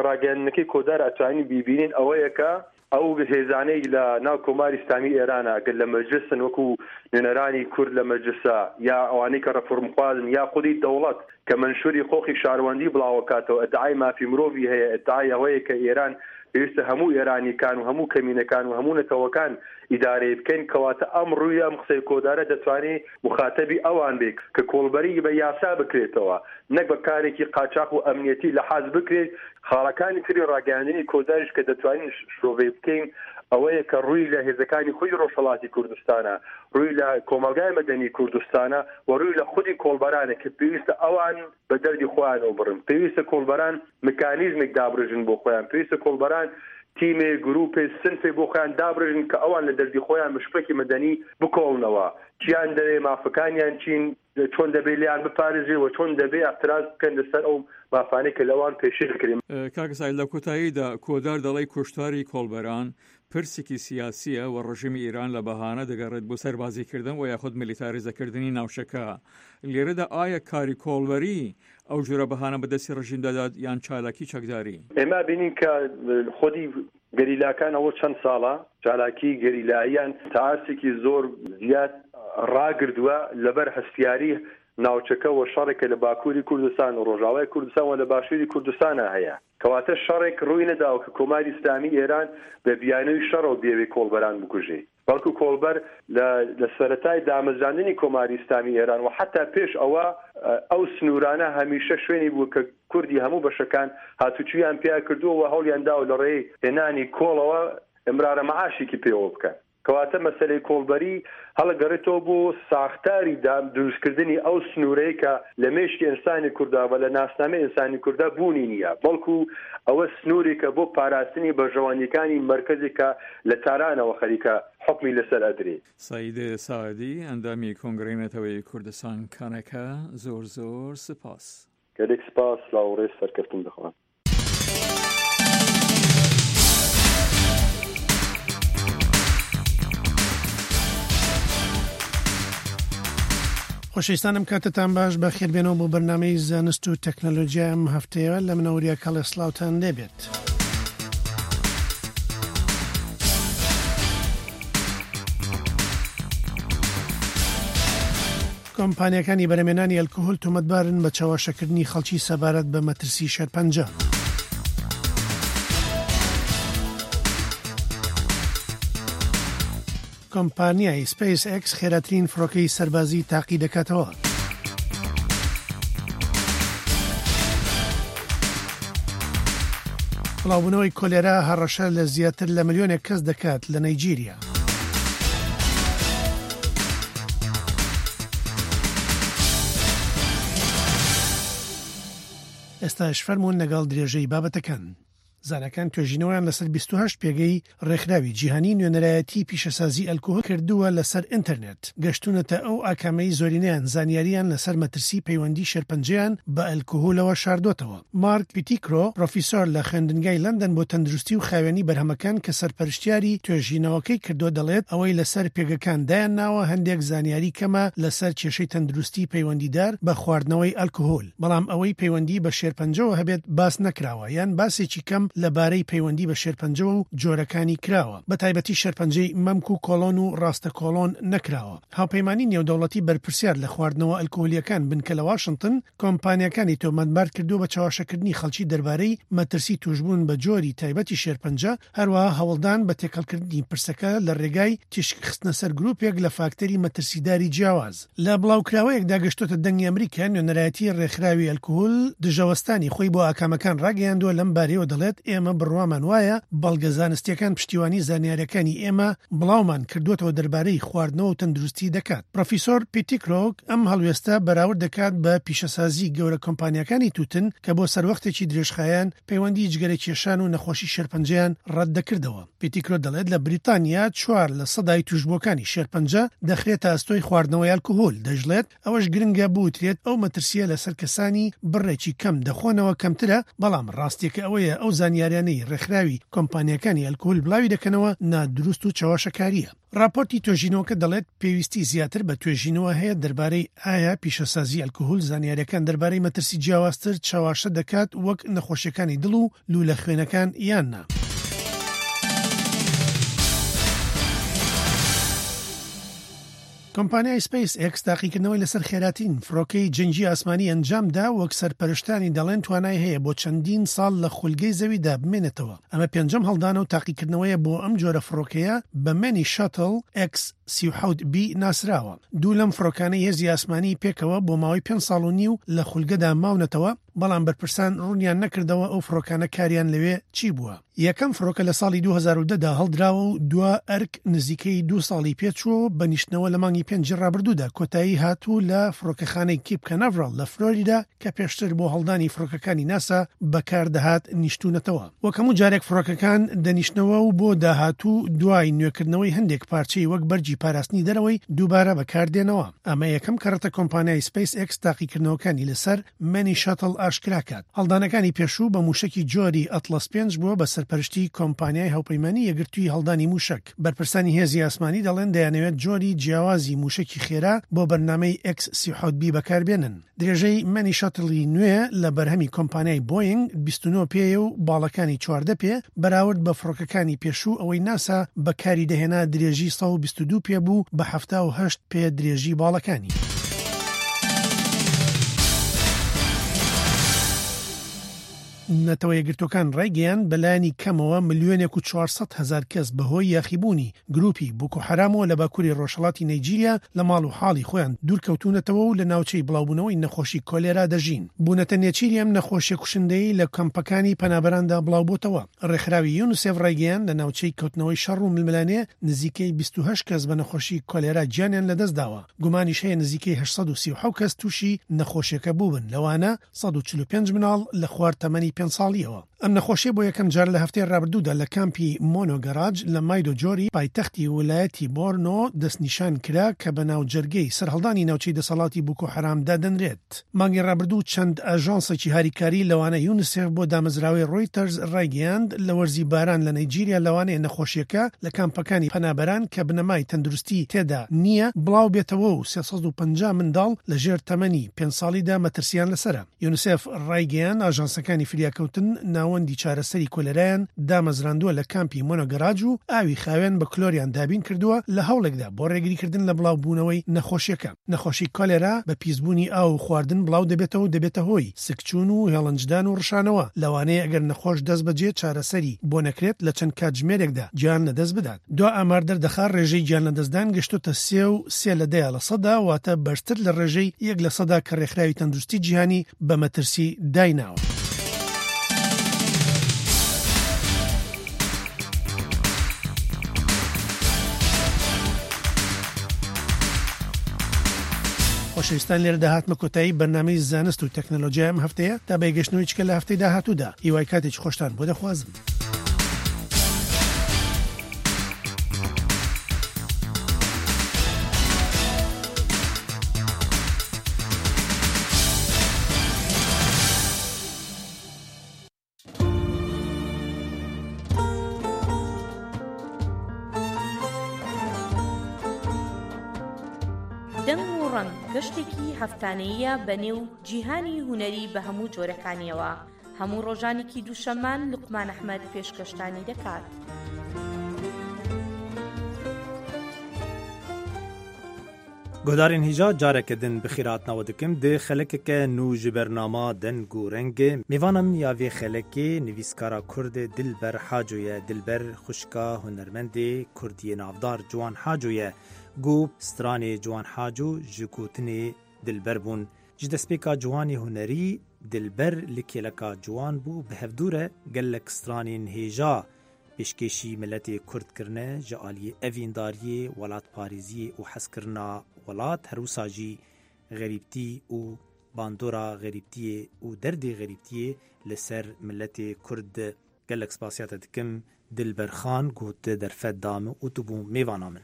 ڕاگەیاندنەکەی کۆدار ئەتوانین بیبینین ئەوەیە کە ئەو هێزانەی لە ناو کۆماری ئیسلامی ئێرانە گەر لە مەجلسن وەکو نوێنەرانی کورد لە مەجلسە یا ئەوانەی کە ڕەفۆرمخوازن یا خودی دەوڵەت کە مەنشوری قۆخی شاروەندی بڵاوەکاتەوە ئیدعای مافی مرۆڤی هەیە ئیدعای ئەوەیە کە ئێران پێویستە هەموو ئێرانیکان و هەموو کەمینەکان و هەموو نەتەوەکان ئیدارەی بکەین کەواتە ئەم ڕووی ئەم قسەی کۆدارە دەتوانێ موخاتەبی ئەوان بێ کە کۆڵبەریی بە یاسا بکرێتەوە نەک بە کارێکی قاچاخ و ئەمنیەتی لەحاز بکرێت خاڵەکانی تری ڕاگەیاندنی کۆداریش کە دەتوانین شرۆڤەی بکەین. ئەوەیە کە ڕووی لە هێزەکانی خودی ڕۆژهەڵاتی کوردستانە، ڕووی لە کۆمەڵگای مەدەنی کوردستانە و ڕووی لە خودی کۆڵبەرانە کە پێویستە ئەوان بە دەردی خۆیانەوە بڕن. پێویستە کۆڵبەران مکانیزمێک دابڕێژن بۆ خۆیان، پێویستە کۆڵبەران تیمێ، گروپێ، سنفێ بۆ خۆیان دابڕێژن کە ئەوان لە دەردی خۆیان بە شکڵێکی مەدەنی بکۆڵنەوە. چیان دەوێ، مافەکانیان چین، چۆن دەبێ لێیان بپارێزرێ و چۆن دەبێ ئیعتراز بکەن لەسەر ئەو مافانەی کە لەوان پێشێل دەکرێ. کاک سەعید لە کۆتاییدا کۆدار دەڵی کوشتاری کۆڵبەران پرسێکی سیاسییە و ڕژیمی ئیران لە بەهانە دەگەڕێت بۆ سەربازیکردن و یاخود میلیتاریزەکردنی ناوچەکە. لێرەدا ئایا کاری کۆڵبەری ئەو جۆرە بەهانە بە دەستی ڕژیم دەدات یان چالاکی چەکداری؟ ئێمە بینین کە خودی گەریلاکان ئەوە چەند ساڵە چالاکی گەریلاییان تا ئاستێکی زۆر زیاد ڕاگردووە لەبەر هەستیاری ناوچەکە و شەڕێک کە لە باکووری کوردستان و ڕۆژاوای کوردستان و لە باشووری کوردستانا هەیە. کەواتە شەڕێک ڕووی نەداوە کە کۆماری ئیسلامی ئێران بە بیانووی شەڕەوە بیەوێ کۆڵبەران بکوژێ. بەڵکو کۆڵبەر لە لە سەرەتای دامەزراندنی کۆماری ئیسلامی ئێران و حەتا پێش ئەوە ئەو سنوورانە هەمیشە شوێنی بووە کە کوردی هەموو بەشەکان هاتوچوویان پیا کردووە و هەوڵیان داوە لە ڕێی هێنانی کۆڵەوە ئمرارە مەعاشێکی پێوە بکەن. کەواتە مەسەلەی کۆڵبەری هەڵەگەڕێتەوە بۆ ساختاری دروستکردنی ئەو سنوورەی کە لە مێشکی ئینسانی کوردا و لە ناسنامەی ئینسانی کوردا بوونی نییە، بەڵکو ئەوە سنوورێکە بۆ پاراستنی بەرژەوەندییەکانی مەرکەزێک کە لە تارانەوە خەریکە حوکمی لەسەر ئەدرێ. سەعید ساعدی، ئەندامی کۆنگرەی نەتەوەیی کوردستان، کەنەکە، زۆر زۆر سپاس. گەلێک سپاس، سلاو و ڕێز، سەرکەفتن دەخوازم. خۆشەویستان ئەم کاتەتان باش بە خێربێنەوە بۆ بەرنمەی زانست و تەکنەلۆژیا ئەم هەفتەیە لە منەوریا کەڵێ سلااوان لێبێت. کۆمپانیاکانی بەرهەمێنانی ئەلکهول تۆمەتبارن بە چەواشەکردنی خەڵکی سەبارەت بە مەترسی شێرپەنجە. کۆمپانیای سپەیس ئێکس خێراترین فڕۆکەی سەربازی تاقی دەکاتەوە. بڵاوبوونەوەی کۆلێرا هەڕەشە لە زیاتر لە ملیۆنێک کەس دەکات لە نەیجیریا. ئێستاش فەرموون لەگەڵ درێژەی بابەتەکان. زاناکان توێژینەوەیان لەسەر 28 پێگەی ڕێکخراوی جیهانی نوێنەرایەتی پیشەسازی ئەلکۆهۆل کردووە لەسەر ئینتەرنێت، گەشتوونەتە ئەو ئاکامەی زۆرینەیان زانیارییان لەسەر مەترسی پەیوەندی شێرپەنجەیان بە ئەلکۆهولەوە شاردۆتەوە. مارک پیتیکرۆ، پرۆفیسۆر لە خوێندنگای لەندەن بۆ تەندروستی و خاوێنی بەرهەمەکان کە سەرپەرشتیاری توێژینەوەکەی کردووە دەڵێت، ئەوەی لەسەر پێگەکان دایانناوە هەندێک زانیاری کەمە لەسەر کێشەی تەندروستی پەیوەندیدار بە خواردنەوەی ئەلکهول، بەڵام ئەوەی پەیوەندی بە شێرپەنجەوە هەبێت باس نەکراوە یان باسێکی کەم لەبارەی پەیوەندی بە شێرپەنجەوە و جۆرەکانی کراوە، بەتایبەتی شێرپەنجەی مەمک و کۆڵۆن و ڕاستە کۆڵۆن نەکراوە. هاوپەیمانی نێودەوڵەتی بەرپرسیار لە خواردنەوە ئەلکهولییەکان بنکە لە واشنتن، کۆمپانیاکانی تۆمەتبار کردووە بە چەواشەکردنی خەڵکی دەربارەی مەترسی تووشبوون بە جۆری تایبەتی شێرپەنجە، هەروەها هەوڵدان بە تێکەڵکردنی پرسەکە لە رێگای تیشک خستنە سەر گروپێک لە فاکتەری مەترسیداری جیاواز. لە بڵاوکراوەیەکدا گەشتۆتە دەنگی ئەمریکا، نوێنەرایەتی رێکخراوی ئەلکهول دژەوەستانی خۆی بۆ ئاکامەکان راگەیاندووە، لەم بارەیەوە دەڵێت ئێمە بڕوامان وایە بەڵگە زانستییەکان پشتیوانی زانیارییەکانی ئێمە بڵاومان کردووەتەوە دەربارەی خواردنەوە و تەندروستی دەکات. پرۆفیسۆر پیتیکرۆک ئەم هەڵوێستە بەراورد دەکات بە پیشەسازی گەورە کۆمپانیاکانی تووتن کە بۆ سەروەختێکی درێژخایەن پەیوەندی جگەرەکێشان و نەخۆشی شێرپەنجەیان ڕەتدەکردەوە. پیتیکرۆ دەڵێت لە بریتانیا چوار لە سەدای تووشبووەکانی شێرپەنجە دەخرێتە ئەستۆی خواردنەوەی ئەلکهول، دەشڵێت ئەوەش گرنگە بوترێت ئەو مەترسییە لەسەر کەسانی بڕێکی کەم دەخۆنەوە کەمترە، بەڵام ڕاستییەکە ئەوەیە ئەو زانیاریانەی ڕێکخراوی کۆمپانیاکانی ئەلکهول بڵاوی دەکەنەوە نادروست و چەواشەکارییە. ڕاپۆرتی توێژینەوەکە دەڵێت پێویستی زیاتر بە توێژینەوە هەیە دەربارەی ئایا پیشەسازی ئەلکهول زانیاریەکان دەربارەی مەترسی جیاوازتر چەواشە دەکات وەک نەخۆشیەکانی دڵ و لوولە خوێنەکان یان نا. کۆمپانیای سپەیس ئێکس تاقیکردنەوەی لەسەر خێراترین فڕۆکەی جەنگی ئاسمانی ئەنجامدا، وەک سەرپەرشتانی دەڵێن توانای هەیە بۆ چەندین ساڵ لە خولگەی زەویدا بمێنێتەوە. ئەمە پێنجەم هەڵدانە و تاقیکردنەوەیە بۆ ئەم جۆرە فڕۆکەیە بە مێنی شەتڵ ئێکس. 37 بی ناسراوە. دوو لەم فڕۆکانەی هێزی ئاسمانی پێکەوە بۆ ماوەی پێنج ساڵ و نیو لە خولگەدا ماونەتەوە، بەڵام بەرپرسان ڕوونیان نەکردەوە ئەو فڕۆکانە کاریان لەوێ چی بووە. یەکەم فڕۆکە لە ساڵی 2010 دا هەڵدراوە و دوا ئەرک نزیکەی دوو ساڵی پێچووە و بە نیشتنەوە لە مانگی پێنجی ڕابردوودا کۆتایی هات و لە فڕۆکەخانەی کیپ کاناڤراڵ لە فلۆریدا کە پێشتر بۆ هەڵدانی فڕۆکەکانی ناسا بەکاردەهات نیشتوونەتەوە. وەک هەموو جارێک فڕۆکەکان دەنیشتنەوە و بۆ داهاتوو دوای نوێکردنەوەی هەندێک پارچەی وەک بەرگی پاراستنی دەرەوەی دووبارە بەکاردێنەوە. ئەمە یەکەم کەڕەتە کۆمپانیای سپەیس ئێکس تاقیکردنەوەکانی لەسەر مەنی شەتڵ ئاشکرا کات. هەڵدانەکانی پێشوو بە مووشەکی جۆری ئەتڵەس پێنج بووە بە سەرپەرشتی کۆمپانیای هاوپەیمانی یەکگرتووی هەڵدانی مووشەک. بەرپرسانی هێزی ئاسمانی دەڵێن دەیانەوێت جۆری جیاوازی مووشەکی خێرا بۆ بەرنامەی ئێکس 37 بی بەکاربێنن. درێژەی مەنی شەتڵی نوێ لە بەرهەمی کۆمپانیای بۆینگ 29 پێیە و باڵەکانی 14 پێ، بەراورد بە فڕۆکەکانی پێشوو ئەوەی ناسا بەکاری دەهێنا درێژی 122 پێ بوو بە 78 پێ درێژی باڵەکانی. نەتەوە یەکگرتووەکان ڕایگەیاند، بەلایەنی کەمەوە ملیۆنێک و 400 هەزار کەس بەهۆی یاخیبوونی گرووپی بوکو حەرامەوە لە باکووری ڕۆژهەڵاتی نەیجیریا لە ماڵ و حاڵی خۆیان دوورکەوتوونەتەوە و لە ناوچەی بڵاوبوونەوەی نەخۆشی کۆلێرا دەژین. بوونەتە نێچیری ئەم نەخۆشیە کوشندەیەی لە کەمپەکانی پەنابەراندا بڵاوبۆتەوە. ڕێکخراوی یونسێف ڕایگەیاند، لە ناوچەی کەوتنەوەی شەڕ و ململانێ نزیکەی 28 کەس بە نەخۆشی کۆلێرا گیانیان لەدەستداوە، گومانیش هەیە نزیکەی 837 کەس تووشی نەخۆشیەکە بووبن، لەوانە 145 مناڵ لە خوار تەمەنی پێنج ساڵییەوە. ئەم نەخۆشیە بۆ یەکەم جار لە هەفتەی ڕابردوودا لە کامپی مۆنۆ گەراج لە مایدۆجۆری پایتەختی ولایەتی بۆرنۆ دەستنیشان کرا کە بە ناوجەرگەی سەرهەڵدانی ناوچەی دەسەڵاتی بوکۆ حەرام دادەنرێت. مانگی ڕابردوو چەند ئاژانسێکی هاریکاری لەوانە یونسێف بۆ دامەزراوەی ڕۆیتەرز ڕایگەیاند لە وەرزی باران لە نەیجیریا لەوانەیە نەخۆشیەکە لە کامپەکانی پەنابەران کە بنەمای تەندروستی تێدا نییە بڵاوبێتەوە و 350 منداڵ لە ژێر تەمەنی پێنج ساڵیدا مەترسیان لەسەرە. یونسێف ڕایگەیاند، ئاژانسەکانی فریاکەوتن ناوەندی چارەسەری کۆلێرایان دامەزراندووە لە کامپی مۆنۆگەراج و ئاوی خاوێن بە کلۆریان دابین کردووە لە هەوڵێکدا بۆ ڕێگریکردن لە بڵاوبوونەوەی نەخۆشیەکە. نەخۆشی کۆلێرا بە پیسبوونی ئاو و خواردن بڵاو دەبێتەوە و دەبێتە هۆی سکچوون و هێڵنجدان و ڕشانەوە، لەوانەیە ئەگەر نەخۆش دەستبەجێ چارەسەری بۆ نەکرێت لە چەند کاتژمێرێکدا گیان لەدەست بدات. دوا ئامار دەردەخا ڕێژەی گیانلەدەستدان گەشتۆتە سێ و سێ لە دەیە لە سەدا، واتە بەرزتر لە ڕێژەی یەک لە سەدا کە ڕێکخراوی تەندروستی جیهانی بە مەترسی دایناوە. خۆشەویستان لێرەدا هاتمە کۆتایی بەرنامەی زانست و تەکنەلۆجیای ئەم هەفتەیە تا بەیەکگەشتنەوەی چکە لە هەفتەی داهاتوودا هیوای کاتێکی خۆشتان بۆ دەخوازم. دەنگ و ڕەنگ گەشتێکی هەفتانەییە بە نێو جیهانی هونەری بە هەموو جۆرەکانیەوە. هەموو ڕۆژانێکی دووشەممان لوقمان ئەحمەد پێشکەشتانی دەکات. Guhdarên hêja careke din bi xêr hatina we dikim di xelekeke nû ji bernama Deng û Reng. Mêvana min ya vê xelekê nivîskara Kurd Dilber Haco ye. Dilber xwişka hunermendê Kurd yê navdar Ciwan Haco ye. Got stranê Ciwan Haco ji gotinê Dilber bûn. Ji destpêka ciwanê hunerî Dilber li kêleka ciwan bû bi hevdû re gelek stranên hêja pêşkêşî miletê Kurd kirine ji aliyê evîndariyê, welatparêziyê û hezkirina welat her wisa jî xerîbtî û bandora xerîbtiyê û derdê xerîbtiyê li ser miletê Kurd. Gelek spasiya te dikim Dilber xan ku tu derfet da min û tu bû mêvana min.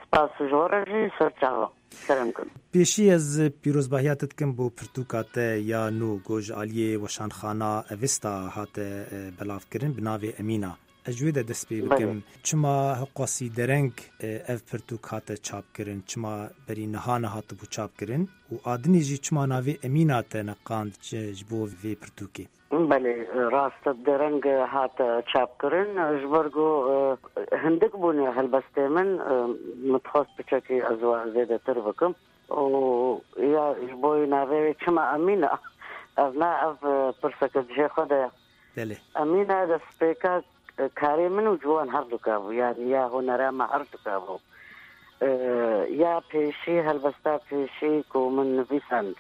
Spas ji we re jî ser çava. Kerem kin. Pêşî ez pîrozbahiya te dikim bo pirtûka te ya nû ku ji aliyê Weşanxana Evista hate belavkirin bi navê Emîna. Ez ji wê de dest pê bikim. Çima hiqasî dereng ev pirtûk hate çapkirin? Çima berî niha nehatibû çapkirin? Û adinê jî çima navê Emîna te neqand ji bo vê pirtûkê? Belê, rast e dereng hate çapkirin ji ber ku hindik bûne helbestê min, min dixwest piçekî ez we zêdetir bikim û ya ji bo navê wê çima Emîna ev ne ev pirseke cihê xwe de ye. Belê. Emîna destpêka karê min û ciwan her duka bû yanî ya hunera me her duka bû. یا پێشی هەلبەستا پێشی کو من نڤیساند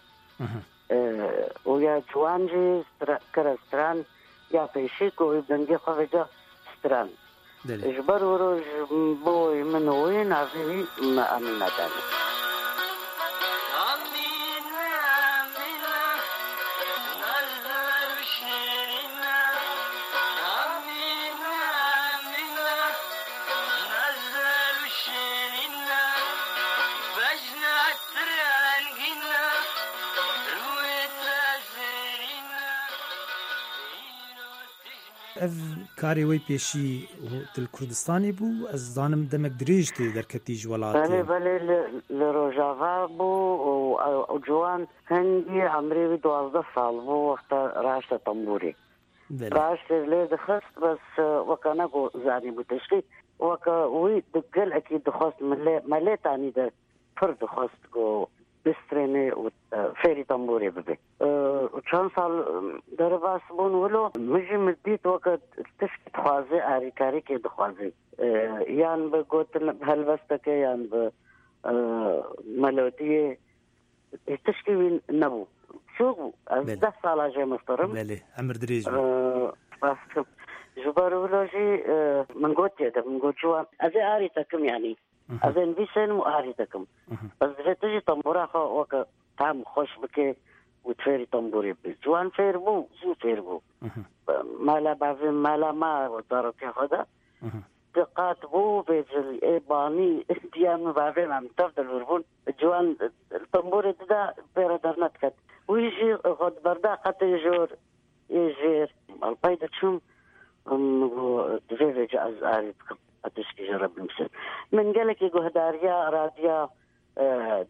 و یا جوان ژی کرە ستران یا پێشی کو وی دەنگێ خو ڤێجا ستران ji ber wiro ji bo min û wî navê wî me Emîne danî. Ev karê wê pêşî tu li Kurdistanê bû, ez dizanim demek dirêj tu derketî ji welatê. Belê belê li Rojava bû û ciwan hingî emrê wî 12 sal bû wexta raşte tembûrê. Raşte lê dixist bes weka nego zanîbû tiştî weka wî di gelekî dixwest me lê tanî de pir dixwest ku bistrênê û fêrî tembûrê bibe. Çend sal derbas bûn wilo min jî min dît weke tişkî dixwaze alîkarîkê dixwaze yan bi gotin bi helbesteke yan bi melodiyê tişkî wî nebû. Biçûk bû. Ez deh sala jê miftirim. Belê, emir dirêj bû. Spas dikim. Ji ber wilo jî min gotiye de min got ciwan ez ê arî te kim yanî. Ez ê nivîsênim û arî te kim. Bes divê tu jî tembûra xwe weke tam xweş bike û tu fêrî tembûrê bibî. Ciwan fêr bû, zû fêr bû. Mala bavê mala ma zarokiya xwe de di qat bû bêcil ê banî diya min bavê me em tev de li wir bûn. Ciwan li tembûrê dida pê re dernediket. Wî jî xwe diberda qetê jor ê jêr. Li pey diçûm min got divê vêca ez arî bikim ez tişkî ji re binivîsim. Min gelekî guhdariya radya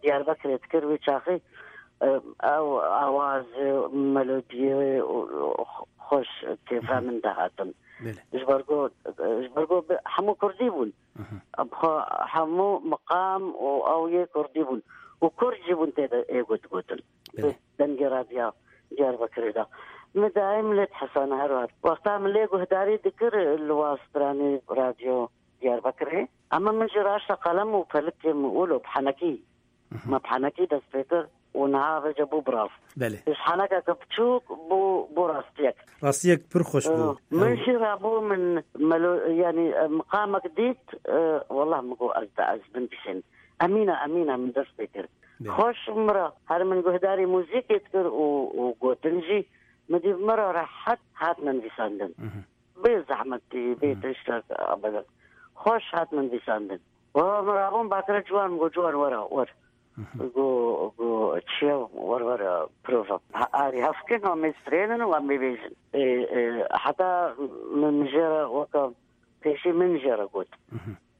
Diyarbekirê dikir wî çaxî ew awaz melodiyê xweş kêfa min dihatin. Ji ber ku ji ber ku hemû kurdî bûn. Xwe hemû miqam û ew yê kurdî bûn û kurd jî bûn tê de ê got gotin. Dengê radya Diyarbekirê de. Min daim lê dihesane her wext. Wexta min lê guhdarî dikir li wa stranê radyo Diyarbekirê. Ema min jî raşta qelem û pelikê min wilo bi henekî. Me bi henekî dest pê kir û niha vêca bû bi rast. Belê. Ji henekeke biçûk bû bû rastiyek. Rastiyek pir xweş bû. Min jî rabû min melo yanî miqamek dît wallah min got ez de ez binivîsêm. Emîna emîna min dest pê kir. Xweş min re her min guhdarî muzîkê dikir û û gotin jî min dît min re rehet hatine nivîsandin. Bê zehmetî, bê tiştek ebeden. Xweş hat min nivîsandin. Wa min rabûm bakire ciwan min got ciwan were wer. Got got çiye wer were prova. Arî hevkin em ê strênin û em ê bêjin. Heta min jê re weke pêşî min jê re got.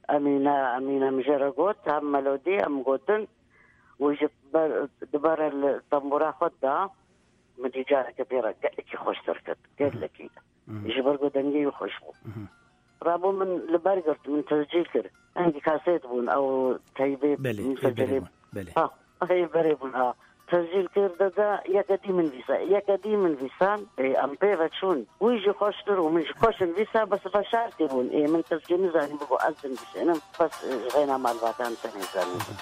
Emîne Emîne min jê re got hem melodî hem gotin û ji ber dibare li tembûra xwe da min dî careke pê re gelekî xweş derket gelekî. Ji ber ku dengê wî xweş bû. Rabû min li ber girt, min tescîl kir. Hingî kasêt bûn ew teybê Belê, bûn. Belê. Ha, ê berê bûn ha. Tescîl kir dede yeke dî min vîsa. Yeke dî min vîsan em pê ve çûn. Wî jî xweş kir û min jî xweş nivîsa bes veşartî bûn. Ê min tescîl nizanîbû ku ez dinivîsînim bes ji xêna malbatan tenê zanîbû.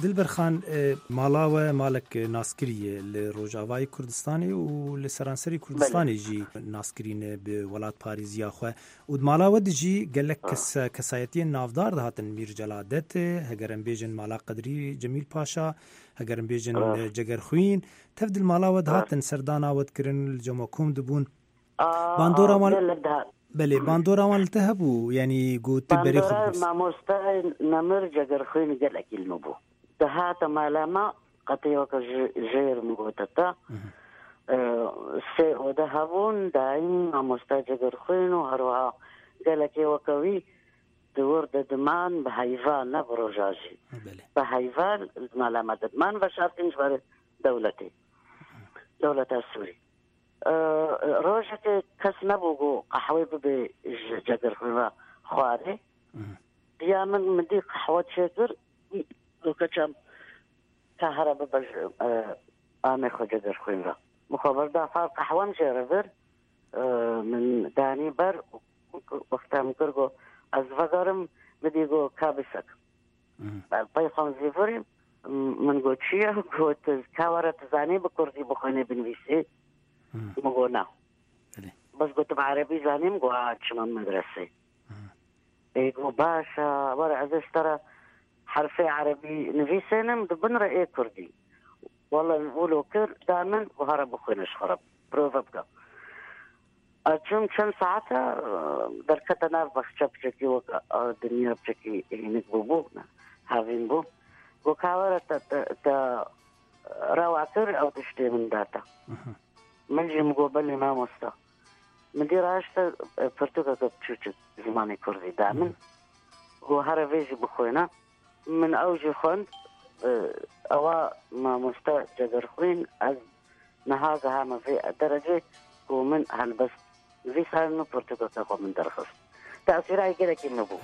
Dilber Xan, mala we malek naskirî ye li Rojavayê Kurdistanê û li seranserî Kurdistanê jî naskirî ne bi welatparêziya xwe. Û di mala we de jî gelek kes kesayetiyên navdar dihatin, Mîr Celadet, heger em bêjin Mala Qedrî Cemîl Paşa, heger em bêjin Cegerxwîn, tev di li mala we dihatin, serdana we dikirin, li cem we kom dibûn. Bandora wan Belê, bandora wan li te hebû, yanî ku tu berê xwe Bandora mamostayê Nemir Cegerxwîn gelekî li min bû. Dihate mala me, qetê weke ji jêr min gote te. Sê ode hebûn, dayîm mamosta Cegerxwîn û herwiha gelekê weke wî di wir de diman bi heyva ne bi roja jî. Bi heyva li mala me de diman veşartîn ji ber dewletê. دەولەتا سووری. ڕۆژەکێ کەس نەبوو گۆ قەحوەی ببێ ژ جەگەرخوین ڕا خوارێ. یا من مدی قەحوە چێ کرد گۆ کەچەم تا هەرە ببە ژ ئامێ خۆ جەگەرخوین ڕا. مخۆ بەردا فار قەحوەم ژێ ڕە بر من دانی بەر وەختام کرد گۆ ئەز ڤەگەرم مدی گۆ کا بسەک. پەی خۆم زیڤریم من گۆ چییە گۆت کاوەرە تزانی بە کوردی بخوێنێ بنویسێ من گۆ نا بەس گوتم عەرەبی زانیم گۆ چمە مەدرەسێ ئێ گۆ باشە وەرە ئەزێ شتەرە حرفێ عەرەبی نویسێنم دبنرە ئێ کوردی والله ولو کرد دا من و هەرە بخوێنش خەرب پرۆڤە بکە ئەچوم چەند ساعتە دەرکەتە ناو بەخچە بچەکی وەک دنیا بچەکی هینک بوو بوو هاوین بوو گۆ کاوەرە تە ڕەوا کرد ئەو تشتێ من داتە من ژیم گۆ بەلی مامۆستا من دی ڕاشتە پرتوکەکە بچوچک زمانی کوردی دا من گۆ هەرە ڤێژی بخوێنە من ئەو ژی خوێند ئەوە مامۆستا جەگەرخوین ئەز نها گەهامە ڤێ دەرەجەی کو من هەلبەست نڤیساندن و پرتوکەکە خۆ من دەرخست تەئسیرای گەلەکی نبوو.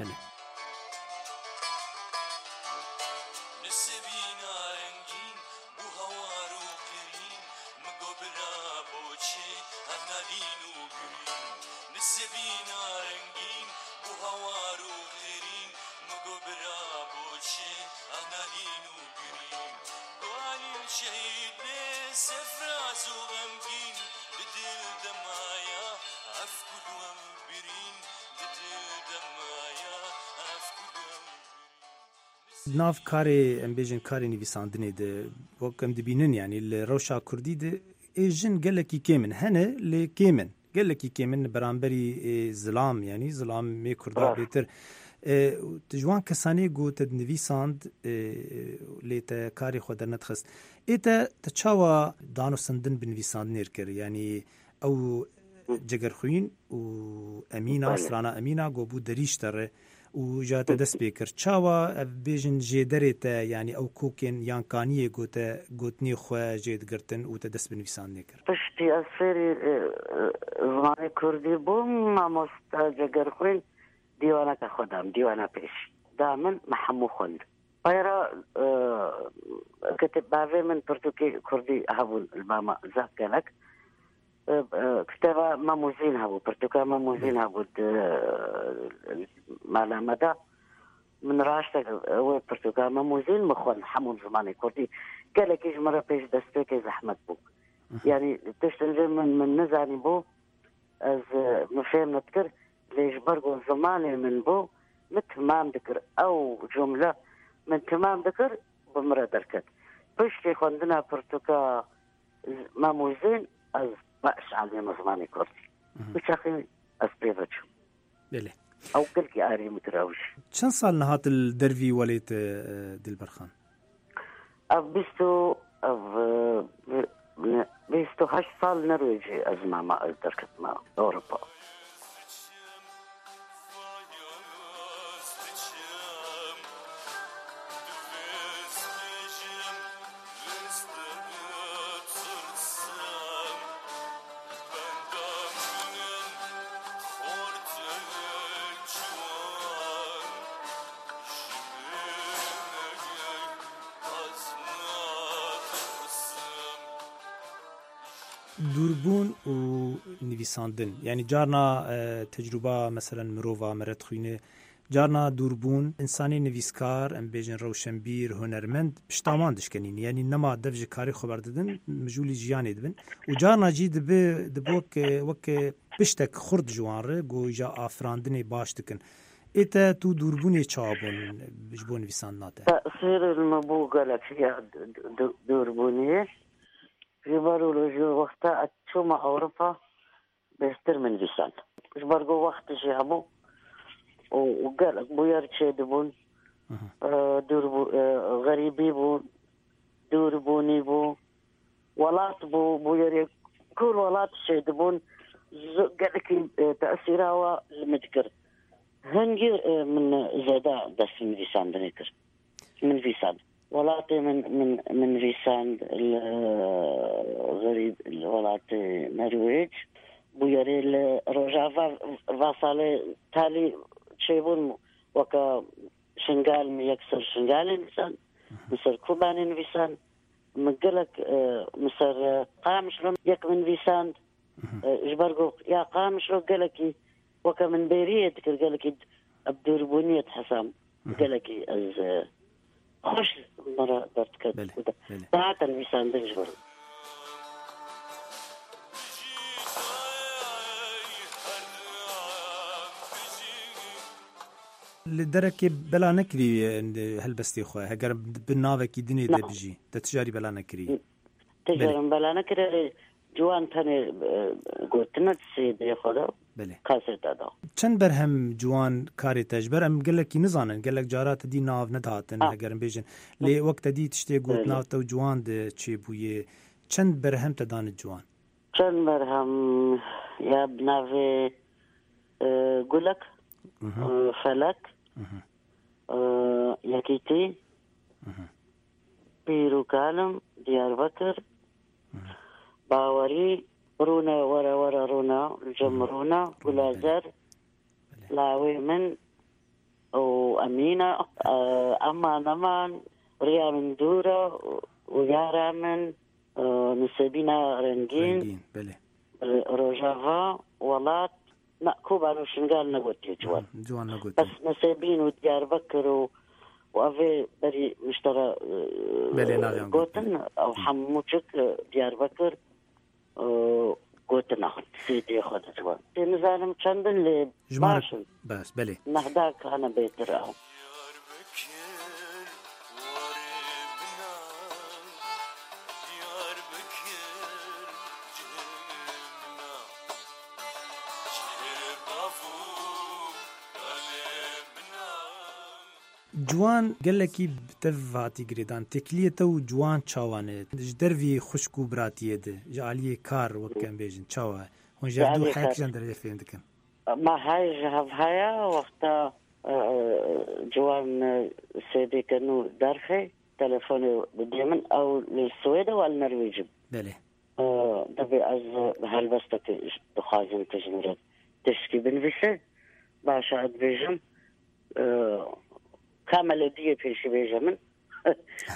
Nav karê em bêjin karê nivîsandinê de wek em dibînin yanî li rewşa kurdî de ê jin gelekî kêm in. Hene lê kêm in. Gelekî kêm in li beramberî zilam yanî zilam mê kurda bêtir. Tu ji wan kesanê ku te dinivîsand lê te karê xwe dernedixist. Ê te te çawa danûstandin bi nivîsandinê kir? Yanî ew Cegerxwîn û Emîna, strana Emîna ku bû derî ji te re û ja te dest pê kir. Çawa ev bêjin jêderê te yanî ew kokên yan kaniyê ku te gotinê xwe jê digirtin û te dest bi nivîsandinê kir? Piştî ez fêrî zimanê kurdî bûm, mamosta Cegerxwîn dîwaneke xwe da min, dîwana pêş da min, me hemû xwend. Peyra kitêb bavê min pirtûkê kurdî hebûn li ba me zaf gelek. Kitêba Mem û Zîn hebû, pirtûka Mem û Zîn hebû di mala me de. Min raştek wê pirtûka Mem û Zîn min xwend hemû zimanê kurdî. Gelekî ji min re pêş destpêkê zehmet bû. Yanî tiştên vê min min nizanîbû ez min fêm nedikir lê ji ber ku zimanê min bû min temam dikir. Ew cumle min temam dikir bi min re derket. Piştî xwendina pirtûka Mem û Zîn ez baş alîme zimanê kurdî. Bi çaxê ez pê ve çûm. Belê. Ew gelkî arî min kir ew jî. Çend sal nihat li dervî welêt Dilberxan? Ev bîst û ev 28 sal Norwêcê ez mama ez derketime Ewropa. Dûrbûn û nivîsandin yanî carna tecrûba meselen mirova mere dixwîne carna dûrbûn însanê nivîskar em bêjin rewşenbîr hunermend pişta wan dişkenîn yanî nema dev ji karê xwe berdidin mijûlî jiyanê dibin û carna jî dibe dibe wek wek piştek xurt ji wan re ku îja afirandinê baş dikin. Ê te tu dûrbûnê çawa bûn ji bo nivîsandina te? Tesîrê li min bû gelek ya dûrbûnê. Ji ber wilo ji wexta ez çûma Ewropa bêhtir min nivîsand. Ji ber ku wext jî hebû û gelek bûyer çêdibûn. Dûr bû xerîbî bû, dûrbûnî bû, welat bû, bûyerê kûr welat çêdibûn gelekî tesîra we li min dikir. Hingî min zêde dest bi nivîsandinê kir. Min nivîsand. وڵاتێ من من من نویساند لە غەریب وڵاتێ نەروێج بویەرێ لە ڕۆژاڤا ڤا ساڵێ تالی چێبوون وەکە شنگال من یەکسەر شنگالێ نویساند مسەر کوبانێ نویساند من گەلەک مسەر قامشلۆ یەک من نویساند ژبەر گۆ یا قامشلۆ گەلەکی وەکە من بێریە دکرد گەلەکی ئەبدوربوونیەت حەسام گەلەکی ئەز خۆش مەرە دەردکەت داهاتە نویساندن ژبەر لە دەرەکێ بەلا نەکری هەلبەستی خۆ هەگەر بن ناوێکی دنێ دە بژی دە تجاری بەلا نەکری تجارم بەلا نەکرێ جوان تەنێ گۆتنە سێدێ خۆدا کاسێتا دا. چەند بەرهەم جوان کارێ te ji ber em gelekî nizanin gelek cara te dî nav nedihatin heger em bêjin lê wek te dî tiştê got nav te û ciwan di çêbûyê çend berhem te dane ciwan? Çend berhem ya bi navê Gulek, Felek, Yekîtî, Pîr û kalim, Diyarbekir, Bawerî, Rûne were were rûne, li cem rûne, Gula zer, Lawê min û Emîne, Eman eman, Riya min dûr e û yara min, Nisêbîna rengîn, Rojava, Welat, Na Koban û Şingal negotiye ciwan. Ciwan negotiye. Bes Nisêbîn û Diyarbekir û û evê berî miştera Belê navyan gotin ew hemû çik Diyarbekir gotina sêdê xwe de ciwan. Tê nizanim çend in lê baş in. Bas belê. Mehdak hene bêtir ew. Ciwan gelekî bi te hatî girêdan. Têkiliyê te û ciwan çawa ne? Ji dervî xwişk û biratiyê de, ji aliyê kar wek em bêjin çawa ye? Hûn ji hev du heya kîjan derecê fêm dikin? Ma hay ji hev heye wexta ciwan sêdêke nû derxê telefonê didê min ew li Swêde û li Norwêcê. Belê. Divê ez helbestekê dixwazim tu ji min re tiştekî binivîse. Baş e ez dibêjim ka melodiyê pêşî bêje min.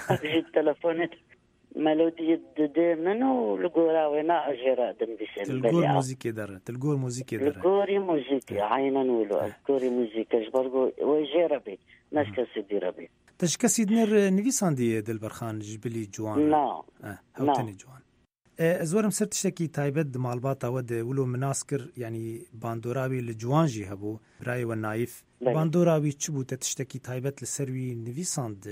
Ev jî telefonê melodiyê dide min û li gora wê na ez jê re dinivîsêm. Tu li gor muzîkê dere, tu li gor muzîkê dere. Li gorî muzîkê, eynen wilo, li gorî muzîkê ji ber ku wê jê re bê, ne ji kesê dî re bê. Te ji kesî din re nivîsandiye Dilberxan ji bilî ciwan re? Na. Hew tenê ciwan. Ez werim ser tiştekî taybet di malbata we de wilo min nas kir yanî bandora wî li ciwan jî hebû birayê we Naîf. Bandora wî çi bû te tiştekî taybet li ser wî nivîsand?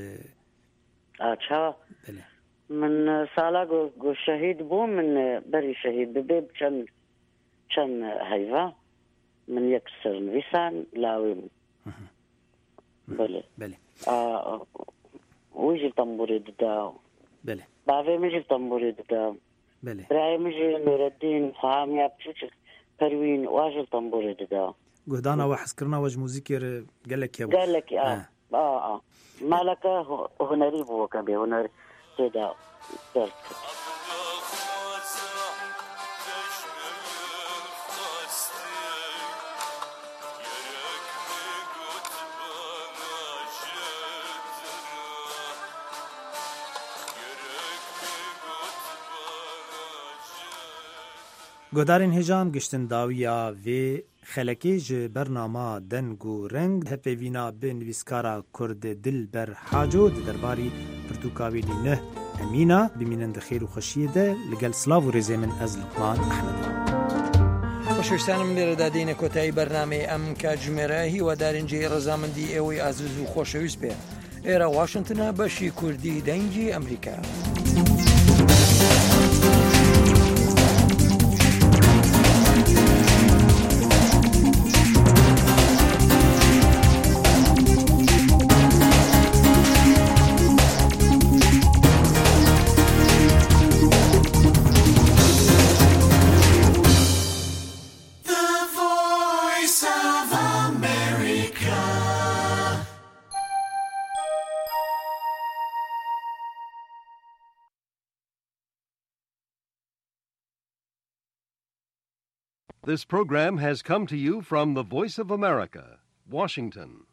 A çawa? Belê. Min sala ku ku şehîd bû min berî şehîd bibê bi çend çend heyva min yek ser nivîsand lawê min. Belê. Belê. Wî jî tembûrê dida. Belê. Bavê min jî tembûrê dida. Belê. Birayê min jî Nûreddîn, Xweham ya biçûçik Perwîn wa jî tembûrê dida. Guhdana we hezkirina we ji muzîkê re gelek hebû. Gelek a. A a. Maleke hunerî bû weke bê huner tê de derdiket. Guhdarên hêja em giştin dawiya vê Xelekê ji bernama Deng û Reng hevpeyvîna bi nivîskara Kurd Dilber Haco di derbarî pirtûka wî lî Nuh Emîna bimînin di xêr û xweşiyê de li gel silav û rêzê min ez Luqman Ehmed im. خۆشەویستانم لێرەدا دێینە کۆتایی بەرنامەی ئەم کاتژمێرە هیوادارین جێی ڕەزامەندی ئێوەی ئازیز و خۆشەویست بێ. ئێرە واشنتنە بەشی کوردی دەنگی ئەمریکا. This program has come to you from the Voice of America, Washington.